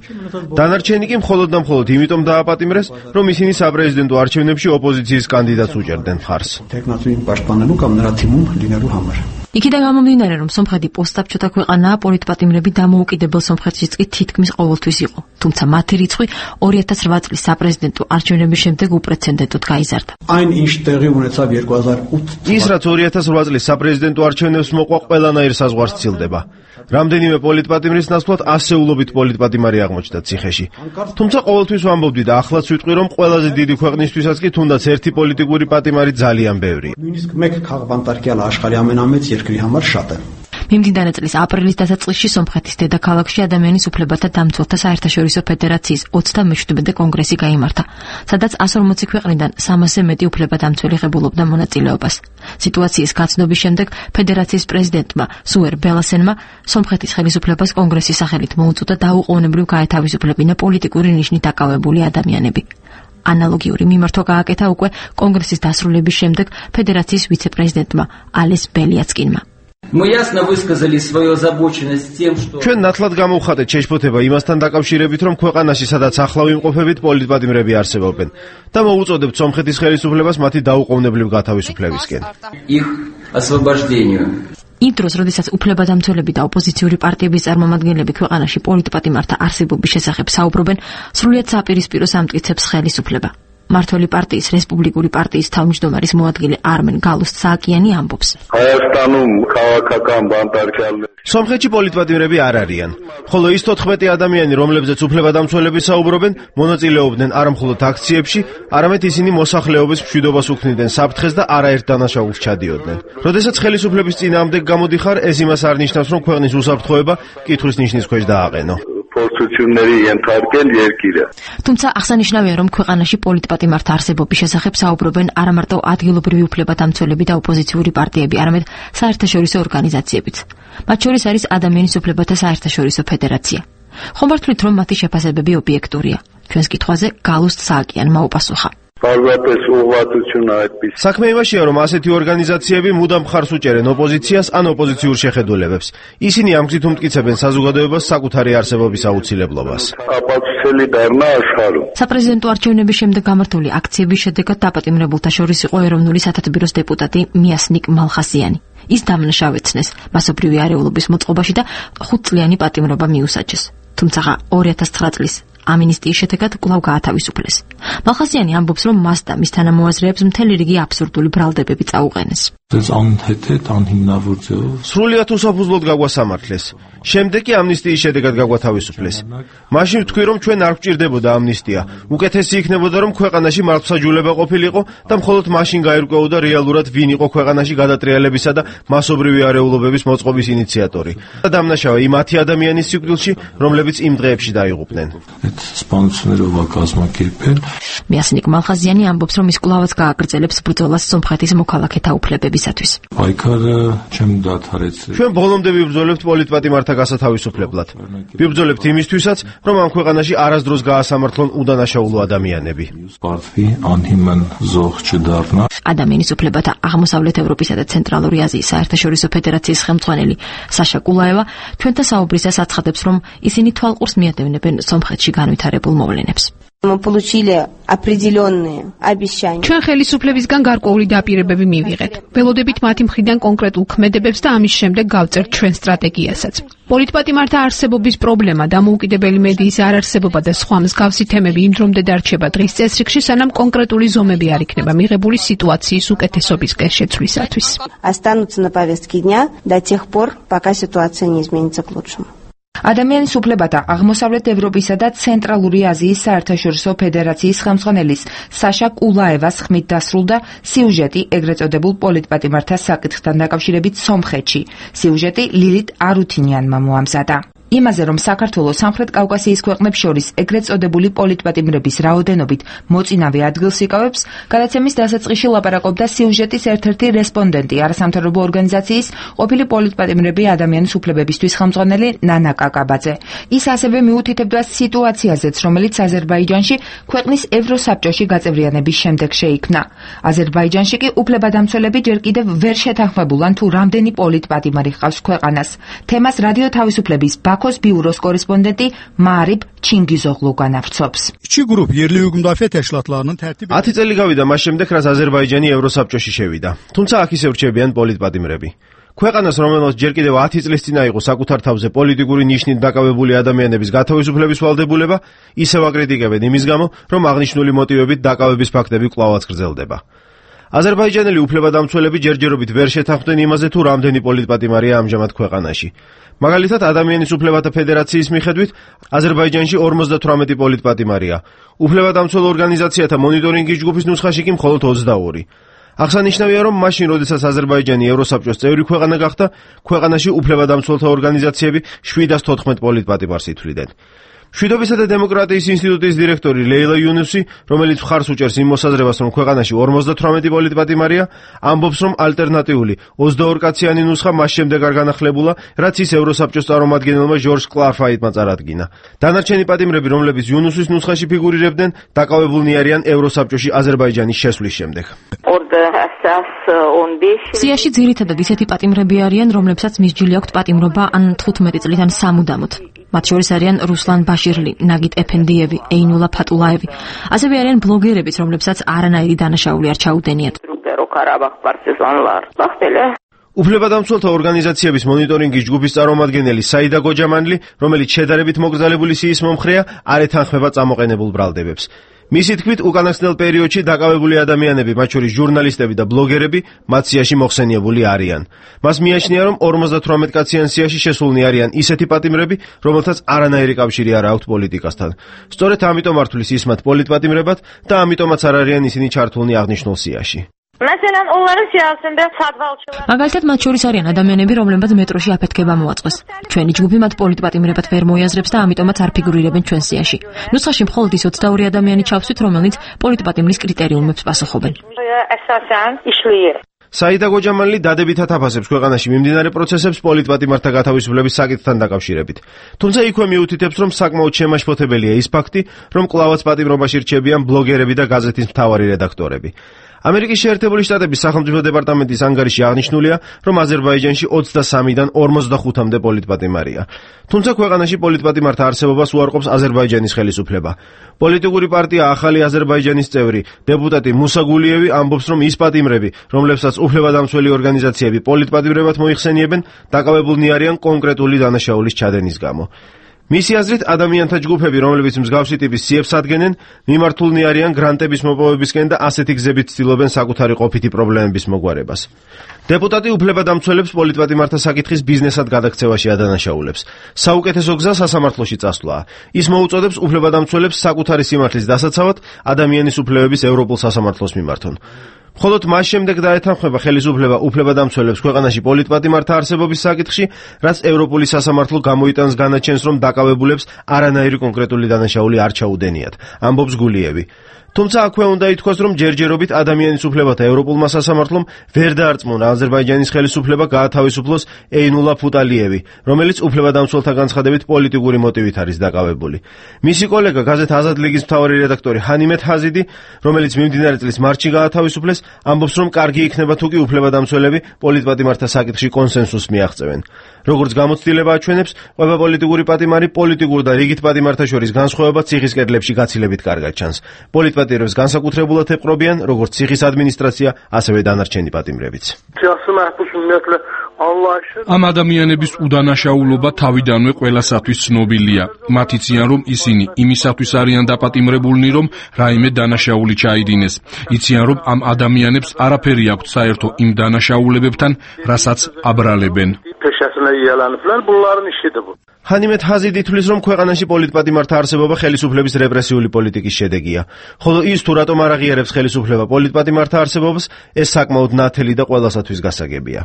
დანარჩენი კი მხოლოდ და მხოლოდ იმიტომ დააპატიმრეს, რომ ისინი საპრეზიდენტო არჩევნებში ოპოზიციის კანდიდატს უჭერდნენ მხარს. იქიდან გამომდინარე, რომ სომხეთი პოსტსაბჭოთა ქვეყანაა, პოლიტპატიმრები დამოუკიდებელ სომხეთშიც კი თითქმის ყოველთვის იყო. თუმცა მათი რიცხვი 2008 წლის საპრეზიდენტო არჩევნების შემდეგ უპრეცედენტოდ გაიზარდა. ის რაც 2008 წლის საპრეზიდენტო არჩევნებს მოყვა, ყველანაირ საზღვარს ცილდება. რამდენიმე პოლიტპატიმრის ნაცვლად ასეულობით პოლიტპატიმარი აღმოჩნდა ციხეში. თუმცა ყოველთვის ვამბობდი და ახლაც ვიტყვი, რომ ყველაზე დიდი ქვეყნისთვისაც კი თუნდაც ერთი პოლიტიკური პატიმარი ძალიან ბევრია. მიმდინარე წლის აპრილის დასაწყისში სომხეთის დედაქალაქში ადამიანის უფლებათა დამცველთა საერთაშორისო ფედერაციის 37-მე კონგრესი გაიმართა, სადაც 140 ქვეყნიდან 300-ზე მეტი უფლებადამცველი ღებულობდა მონაწილეობას. სიტუაციის გაცნობის შემდეგ ფედერაციის პრეზიდენტმა სუერ ბელასენმა სომხეთის ხელისუფლებას კონგრესის სახელით მოუწოდა დაუყოვნებლივ გაეთავისუფლებინა პოლიტიკური ნიშნით დაკავებული ადამიანები. ანალოგიური მიმართვა გააკეთა უკვე კონგრესის დასრულების შემდეგ ფედერაციის ვიცე-პრეზიდენტმა ალეს ბელიაცკინმა. ჩვენ ნათლად გამოვხატეთ შეშფოთება იმასთან დაკავშირებით, რომ ქვეყანაში სადაც ახლავ იმყოფებით პოლიტპატიმრები არსებობენ და მოუწოდებთ სომხეთის ხელისუფლებას მათი დაუყოვნებლივ გათავისუფლებისკენ. იმ დროს, როდესაც უფლებადამცველები და ოპოზიციური პარტიების წარმომადგენლები ქვეყანაში პოლიტპატიმართა არსებობის შესახებ საუბრობენ, სრულიად საპირისპიროს ამტკიცებს ხელისუფლება. მართველი პარტიის რესპუბლიკური პარტიის თავმჯდომარის მოადგილე არმენ გალუსტსააკიანი ამბობს. სომხეთში პოლიტპატიმრები არ არიან, ხოლო ის 14 ადამიანი, რომლებზეც უფლებადამცველები საუბრობენ, მონაწილეობდნენ არა მხოლოდ აქციებში, არამედ ისინი მოსახლეობის მშვიდობას უქმნიდნენ საფრთხეს და არაერთ დანაშაულს ჩადიოდნენ. როდესაც ხელისუფლების წინააღმდეგ გამოდიხარ, ეს იმას არ ნიშნავს, რომ ქვეყნის უსაფრთხოება კითხვის ნიშნის ქვეშ დააყენო. თუმცა აღსანიშნავია, რომ ქვეყანაში პოლიტპატიმართა არსებობის შესახებ საუბრობენ არა მარტო ადგილობრივი უფლებადამცველები და ოპოზიციური პარტიები, არამედ საერთაშორისო ორგანიზაციებიც. მათ შორის არის ადამიანის უფლებათა საერთაშორისო ფედერაცია. ხომ მართლით, რომ მათი შეფასებები ობიექტურია? ჩვენს კითხვაზე გალუსტსააკიანმა უპასუხა. საქმე იმაშია, რომ ასეთი ორგანიზაციები მუდამ მხარს უჭერენ ოპოზიციას ან ოპოზიციურ შეხედულებებს. ისინი ამ გზით უმტკიცებენ საზოგადოებას საკუთარი არსებობის აუცილებლობას. საპრეზიდენტო არჩევნების შემდეგ გამართული აქციების შედეგად დაპატიმრებულთა შორის იყო ეროვნული სათათბიროს დეპუტატი მიასნიკ მალხასიანი. ის დამნაშავეცნეს მასობრივი არეულობის მოწყობაში და 5 წლიანი პატიმრობა მიუსაჯეს. თუმცა 2009 წლის ამინისტიის შედეგად კვლავ გაათავისუფლეს. მალხასიანი ამბობს, რომ მას და მის თანამოაზრეებს მთელი რიგი აბსურდული ბრალდებები წაუყენეს. სრულიად უსაფუძვლოდ გაგვასამართლეს. შემდეგ კი ამნისტიის შედეგად გაგვათავისუფლეს. მაშინ ვთქვი, რომ ჩვენ არ გვჭირდებოდა ამნისტია. უკეთესი იქნებოდა, რომ ქვეყანაში მართლმსაჯულება ყოფილიყო და მხოლოდ მაშინ გაირკვეოდა რეალურად ვინ იყო ქვეყანაში გადატრიალებისა და მასობრივი არეულობების მოწყობის ინიციატორი. და დამნაშავე იმ 10 ადამიანის სიკვდილში, რომლებიც იმ დღეებში დაიღუპნენ. მიასნიკ მალხაზიანი ამბობს, რომ ის კვლავაც გააგრძელებს ბრძოლას სომხეთის მოქალაქეთა უფლებებისათვის. ჩვენ ბოლომდე ვიბრძოლებთ პოლიტპატიმართა გასათავისუფლებლად. ვიბრძოლებთ იმისთვისაც, რომ ამ ქვეყანაში არასდროს გაასამართლონ უდანაშაულო ადამიანები. ადამიანის უფლებათა აღმოსავლეთ ევროპისა და ცენტრალური აზიის საერთაშორისო ფედერაციის ხელმძღვანელი საშა კულაევა ჩვენთან საუბრისას აცხადებს, რომ ისინი თვალყურს მიადევნებენ სომხეთში განვითარებულ მოვლენებს. ჩვენ ხელისუფლებისგან გარკვეული დაპირებები მივიღეთ. ველოდებით მათი მხრიდან კონკრეტულ ქმედებებს და ამის შემდეგ გავწერთ ჩვენ სტრატეგიასაც. პოლიტპატიმართა არსებობის პრობლემა, დამოუკიდებელი მედიის არარსებობა და სხვა მსგავსი თემები იმ დრომდე დარჩება დღის წესრიგში, სანამ კონკრეტული ზომები არ იქნება მიღებული სიტუაციის უკეთესობისკენ შეცვლისათვის. ადამიანის უფლებათა აღმოსავლეთ ევროპისა და ცენტრალური აზიის საერთაშორისო ფედერაციის ხელმძღვანელის საშა კულაევას ხმით დასრულდა სიუჟეტი ეგრეთ წოდებულ პოლიტპატიმართა საკითხთან დაკავშირებით სომხეთში. სიუჟეტი ლილით არუთინიანმა მოამზადა. იმაზე, რომ საქართველოს სამხრეთ კავკასიის ქვეყნებს შორის ეგრეთ წოდებული პოლიტპატიმრების რაოდენობით მოწინავე ადგილს იკავებს, გადაცემის დასაწყისში ლაპარაკობდა სიუჟეტის ერთ-ერთი რესპონდენტი, არასამთავრობო ორგანიზაციის ყოფილი პოლიტპატიმრები ადამიანის უფლებებისთვის ხელმძღვანელი ნანა კაკაბაძე. ის ასევე მიუთითებდა სიტუაციაზეც, რომელიც აზერბაიჯანში ქვეყნის ევროსაბჭოში გაწევრიანების შემდეგ შეიქმნა. აზერბაიჯანში კი უფლებადამცველები ჯერ კიდევ ვერ შეთანხმებულან თუ რამდენი პოლიტპატიმარი ჰყავს ქვეყანას. თემას რადიო თავისუფლების ბაქოს ბიუროს კორესპონდენტი მარიბ ჩინგიზოღლუ განავრცობს. 10 წელი გავიდა მას შემდეგ, რაც აზერბაიჯანი ევროსაბჭოში შევიდა. თუმცა აქ ისევ რჩებიან პოლიტპატიმრები. ქვეყანას, რომელმაც ჯერ კიდევ 10 წლის წინ აიღო საკუთარ თავზე პოლიტიკური ნიშნით დაკავებული ადამიანების გათავისუფლების ვალდებულება, ისევ აკრიტიკებენ იმის გამო, რომ აღნიშნული მოტივებით დაკავების ფაქტები კვლავაც გრძელდება. აზერბაიჯანელი უფლებადამცველები ჯერჯერობით ვერ შეთანხმდნენ იმაზე, თუ რამდენი პოლიტპატიმარია ამჟამად ქვეყანაში. მაგალითად, ადამიანის უფლებათა ფედერაციის მიხედვით, აზერბაიჯანში 58 პოლიტპატიმარია. უფლებადამცველ ორგანიზაციათა მონიტორინგის ჯგუფის ნუსხაში კი მხოლოდ 22. აღსანიშნავია, რომ მაშინ, როდესაც აზერბაიჯანი ევროსაბჭოს წევრი ქვეყანა გახდა, ქვეყანაში უფლებადამცველთა ორგანიზაციები 714 პოლიტპატიმარს ითვლიდნენ. მშვიდობისა და დემოკრატიის ინსტიტუტის დირექტორი ლეილა იუნუსი, რომელიც მხარს უჭერს იმ მოსაზრებას, რომ ქვეყანაში 58 პოლიტპატიმარია, ამბობს, რომ ალტერნატიული 22 კაციანი ნუსხა მას შემდეგ არ განახლებულა, რაც ის ევროსაბჭოს წარმომადგენელმა ჟორჟ კლარფაიტმა წარადგინა. დანარჩენი პატიმრები, რომლებიც იუნუსის ნუსხაში ფიგურირებდნენ, დაკავებულნი არიან ევროსაბჭოში აზერბაიჯანის შესვლის შემდეგ. სიაში ძირითადად ისეთი პატიმრები არიან, რომლებსაც მისჯილი აქვთ პატიმრობა ან 15 წლით ან სამუდამოდ. მათ შორის არიან რუსლან ბაშირლი, ნაგიტ ეფენდიევი, ეინულა ფატულაევი. ასევე არიან ბლოგერებიც, რომლებსაც არანაირი დანაშაული არ ჩაუდენიათ. უფლებადამცველთა ორგანიზაციების მონიტორინგის ჯგუფის წარმომადგენელი საიდა გოჯამანლი, რომელიც შედარებით მოკრძალებული სიის მომხრეა, არ ეთანხმება წამოყენებულ ბრალდებებს. მისი თქმით, უკანასკნელ პერიოდში დაკავებული ადამიანები, მათ შორის ჟურნალისტები და ბლოგერები, მათ სიაში მოხსენიებული არიან. მას მიაჩნია, რომ 58 კაციან სიაში შესულნი არიან ისეთი პატიმრები, რომელთაც არანაირი კავშირი არ აქვთ პოლიტიკასთან. სწორედ ამიტომ არ თვლის ის მათ პოლიტპატიმრებად და ამიტომაც არ არიან ისინი ჩართულნი აღნიშნულ სიაში. მაგალითად, მათ შორის არიან ადამიანები, რომლებმაც მეტროში აფეთქება მოაწყეს. ჩვენი ჯგუფი მათ პოლიტპატიმრებად ვერ მოიაზრებს და ამიტომაც არ ფიგურირებენ ჩვენ სიაში. ნუსხაში მხოლოდ ის 22 ადამიანი ჩავსვით, რომელნიც პოლიტპატიმრის კრიტერიუმებს პასუხობენ. საიდა გოჯამალი დადებითად აფასებს ქვეყანაში მიმდინარე პროცესებს პოლიტპატიმართა გათავისუფლების საკითხთან დაკავშირებით. თუმცა იქვე მიუთითებს, რომ საკმაოდ შემაშფოთებელია ის ფაქტი, რომ კვლავაც პატიმრობაში რჩებიან ბლოგერები და გაზეთის მთავარი რედაქტორები. ამერიკის შეერთებული შტატების სახელმწიფო დეპარტამენტის ანგარიში აღნიშნულია, რომ აზერბაიჯანში 23-დან 45-მდე პოლიტპატიმარია. თუმცა ქვეყანაში პოლიტპატიმართა არსებობას უარყოფს აზერბაიჯანის ხელისუფლება. პოლიტიკური პარტია ახალი აზერბაიჯანის წევრი, დეპუტატი მუსა გულიევი ამბობს, რომ ის პატიმრები, რომლებსაც უფლებადამცველი ორგანიზაციები პოლიტპატიმრებად მოიხსენიებენ, დაკავებულნი არიან კონკრეტული დანაშაულის ჩადენის გამო. მისი აზრით, ადამიანთა ჯგუფები, რომლებიც მსგავსი ტიპის სიებს ადგენენ, მიმართულნი არიან გრანტების მოპოვებისკენ და ასეთი გზებით ცდილობენ საკუთარი ყოფითი პრობლემების მოგვარებას. დეპუტატი უფლებადამცველებს პოლიტპატიმართა საკითხის ბიზნესად გადაქცევაში ადანაშაულებს. საუკეთესო გზა სასამართლოში წასვლაა. ის მოუწოდებს უფლებადამცველებს საკუთარი სიმართლის დასაცავად ადამიანის უფლებების ევროპულ სასამართლოს მიმართონ. მხოლოდ მას შემდეგ დაეთანხმება ხელისუფლება უფლებადამცველებს ქვეყანაში პოლიტპატიმართა არსებობის საკითხში, რაც ევროპული სასამართლო გამოიტანს განაჩენს, რომ დაკავებულებს არანაირი კონკრეტული დანაშაული არ ჩაუდენიათ, ამბობს გულიევი. თუმცა აქვე უნდა ითქვას, რომ ჯერჯერობით ადამიანის უფლებათა ევროპულმა სასამართლომ ვერ დაარწმუნა აზერბაიჯანის ხელისუფლება გაათავისუფლოს ეინულა ფუტალიევი, რომელიც უფლებადამცველთა განცხადებით პოლიტიკური მოტივით არის დაკავებული. მისი კოლეგა გაზეთ აზად ლიგის მთავარი რედაქტორი ჰანიმეთ ჰაზიდი, რომელიც მიმდინარე წლის მარტში გაათავისუფლეს, ამბობს, რომ კარგი იქნება თუ კი უფლებადამცველები პოლიტპატიმართა საკითხში კონსენსუსს მიაღწევენ. როგორც გამოცდილება აჩვენებს, ყველა პოლიტიკური პატიმარი პოლიტიკურ და რიგით პატიმართა შორის განსხვავება ციხის კედლებში გაცილებით კარგად ჩანს. პოლიტპატიმრებს განსაკუთრებულად ეპყრობიან როგორც ციხის ადმინისტრაცია, ასევე დანარჩენი პატიმრებიც. ამ ადამიანების უდანაშაულობა თავიდანვე ყველასათვის ცნობილია. მათ იციან, რომ ისინი იმისათვის არიან დაპატიმრებულნი, რომ რაიმე დანაშაული ჩაიდინეს. იციან, რომ ამ ადამიანებს არაფერი აქვთ საერთო იმ დანაშაულებებთან, რასაც აბრალებენ. ჰანიმეთ ჰაზიდი თვლის, რომ ქვეყანაში პოლიტპატიმართა არსებობა ხელისუფლების რეპრესიული პოლიტიკის შედეგია. ხოლო ის თუ რატომ არ აღიარებს ხელისუფლება პოლიტპატიმართა არსებობას, ეს საკმაოდ ნათელი და ყველასათვის გასაგებია.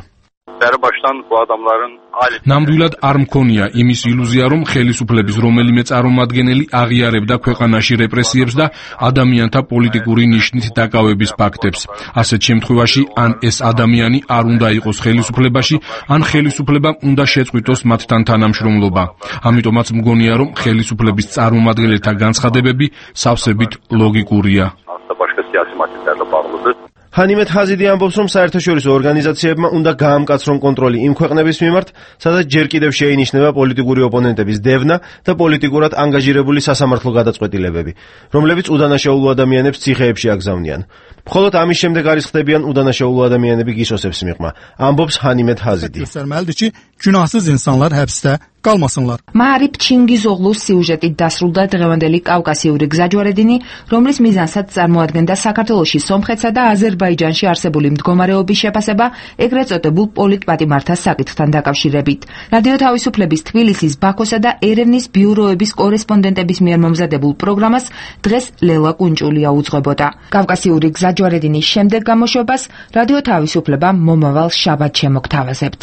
ნამდვილად არ მქონია იმის ილუზია, რომ ხელისუფლების რომელიმე წარმომადგენელი აღიარებდა ქვეყანაში რეპრესიებს და ადამიანთა პოლიტიკური ნიშნით დაკავების ფაქტებს. ასეთ შემთხვევაში ან ეს ადამიანი არ უნდა იყოს ხელისუფლებაში, ან ხელისუფლებამ უნდა შეწყვიტოს მათთან თანამშრომლობა. ამიტომაც მგონია, რომ ხელისუფლების წარმომადგენელთა განცხადებები სავსებით ლოგიკურია. ჰანიმეთ ჰაზიდი ამბობს, რომ საერთაშორისო ორგანიზაციებმა უნდა გაამკაცრონ კონტროლი იმ ქვეყნების მიმართ, სადაც ჯერ კიდევ შეინიშნება პოლიტიკური ოპონენტების დევნა და პოლიტიკურად ანგაჟირებული სასამართლო გადაწყვეტილებები, რომლებიც უდანაშაულო ადამიანებს ციხეებში აგზავნიან. მხოლოდ ამის შემდეგ არის ხდებიან უდანაშაულო ადამიანები გისოსებს მიღმა, ამბობს ჰანიმეთ ჰაზიდი. Günahsız insanlar həbsdə qalmasınlar. Maarif Çingizoglu's სიუჟეტით დასრულდა დღევანდელი კავკასიური გზაჯვარედინი, რომლის მიზანსაც წარმოადგენდა საქართველოში სომხეთსა და აზერბაიჯანში არსებული მდგომარეობის შეფასება, ეგრეთ წოდებულ პოლიტპატიმართა საკითხთან დაკავშირებით. რადიო თავისუფლების თბილისის, ბაქოსა და ერევნის ბიუროების კორესპონდენტების მიერ მომზადებულ პროგრამას დღეს ლელა კუნჭულია უძღვებოდა. კავკასიური გზაჯვარედინის შემდეგ გამოშვებას რადიო თავისუფლება მომავალ შაბათს შემოგთავაზებთ.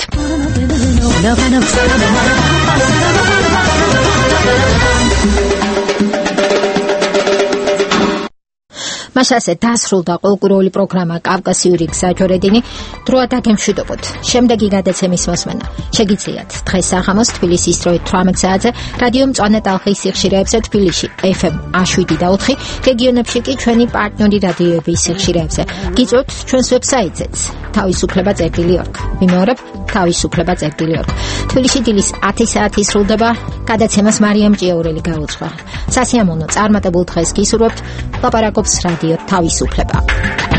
მაშასე დასრულდა კულტურული პროგრამა კავკასიური გზაჯვარედინი. დროა დაგემშვიდობოთ. შემდეგი გადაცემის მოსმენა შეგიძლიათ დღეს საღამოს თბილისის დროით 18 საათზე რადიო მწვანე ტალღის სიხშირეებზე თბილისში FM 107.4, რეგიონებში კი ჩვენი პარტნიორი რადიოების სიხშირეებზე. გიწვევთ ჩვენს ვებსაიტზეც თავისუფლება.org. მიმეორებ თავისუფლება.org. თბილისში დილის 10 საათი სრულდება. გადაცემას მარიამ ჭიაურელი გაუძღვა. სასიამოვნო წარმატებულ დღეს გისურვებთ. ლაპარაკობს რადიო თავისუფლება.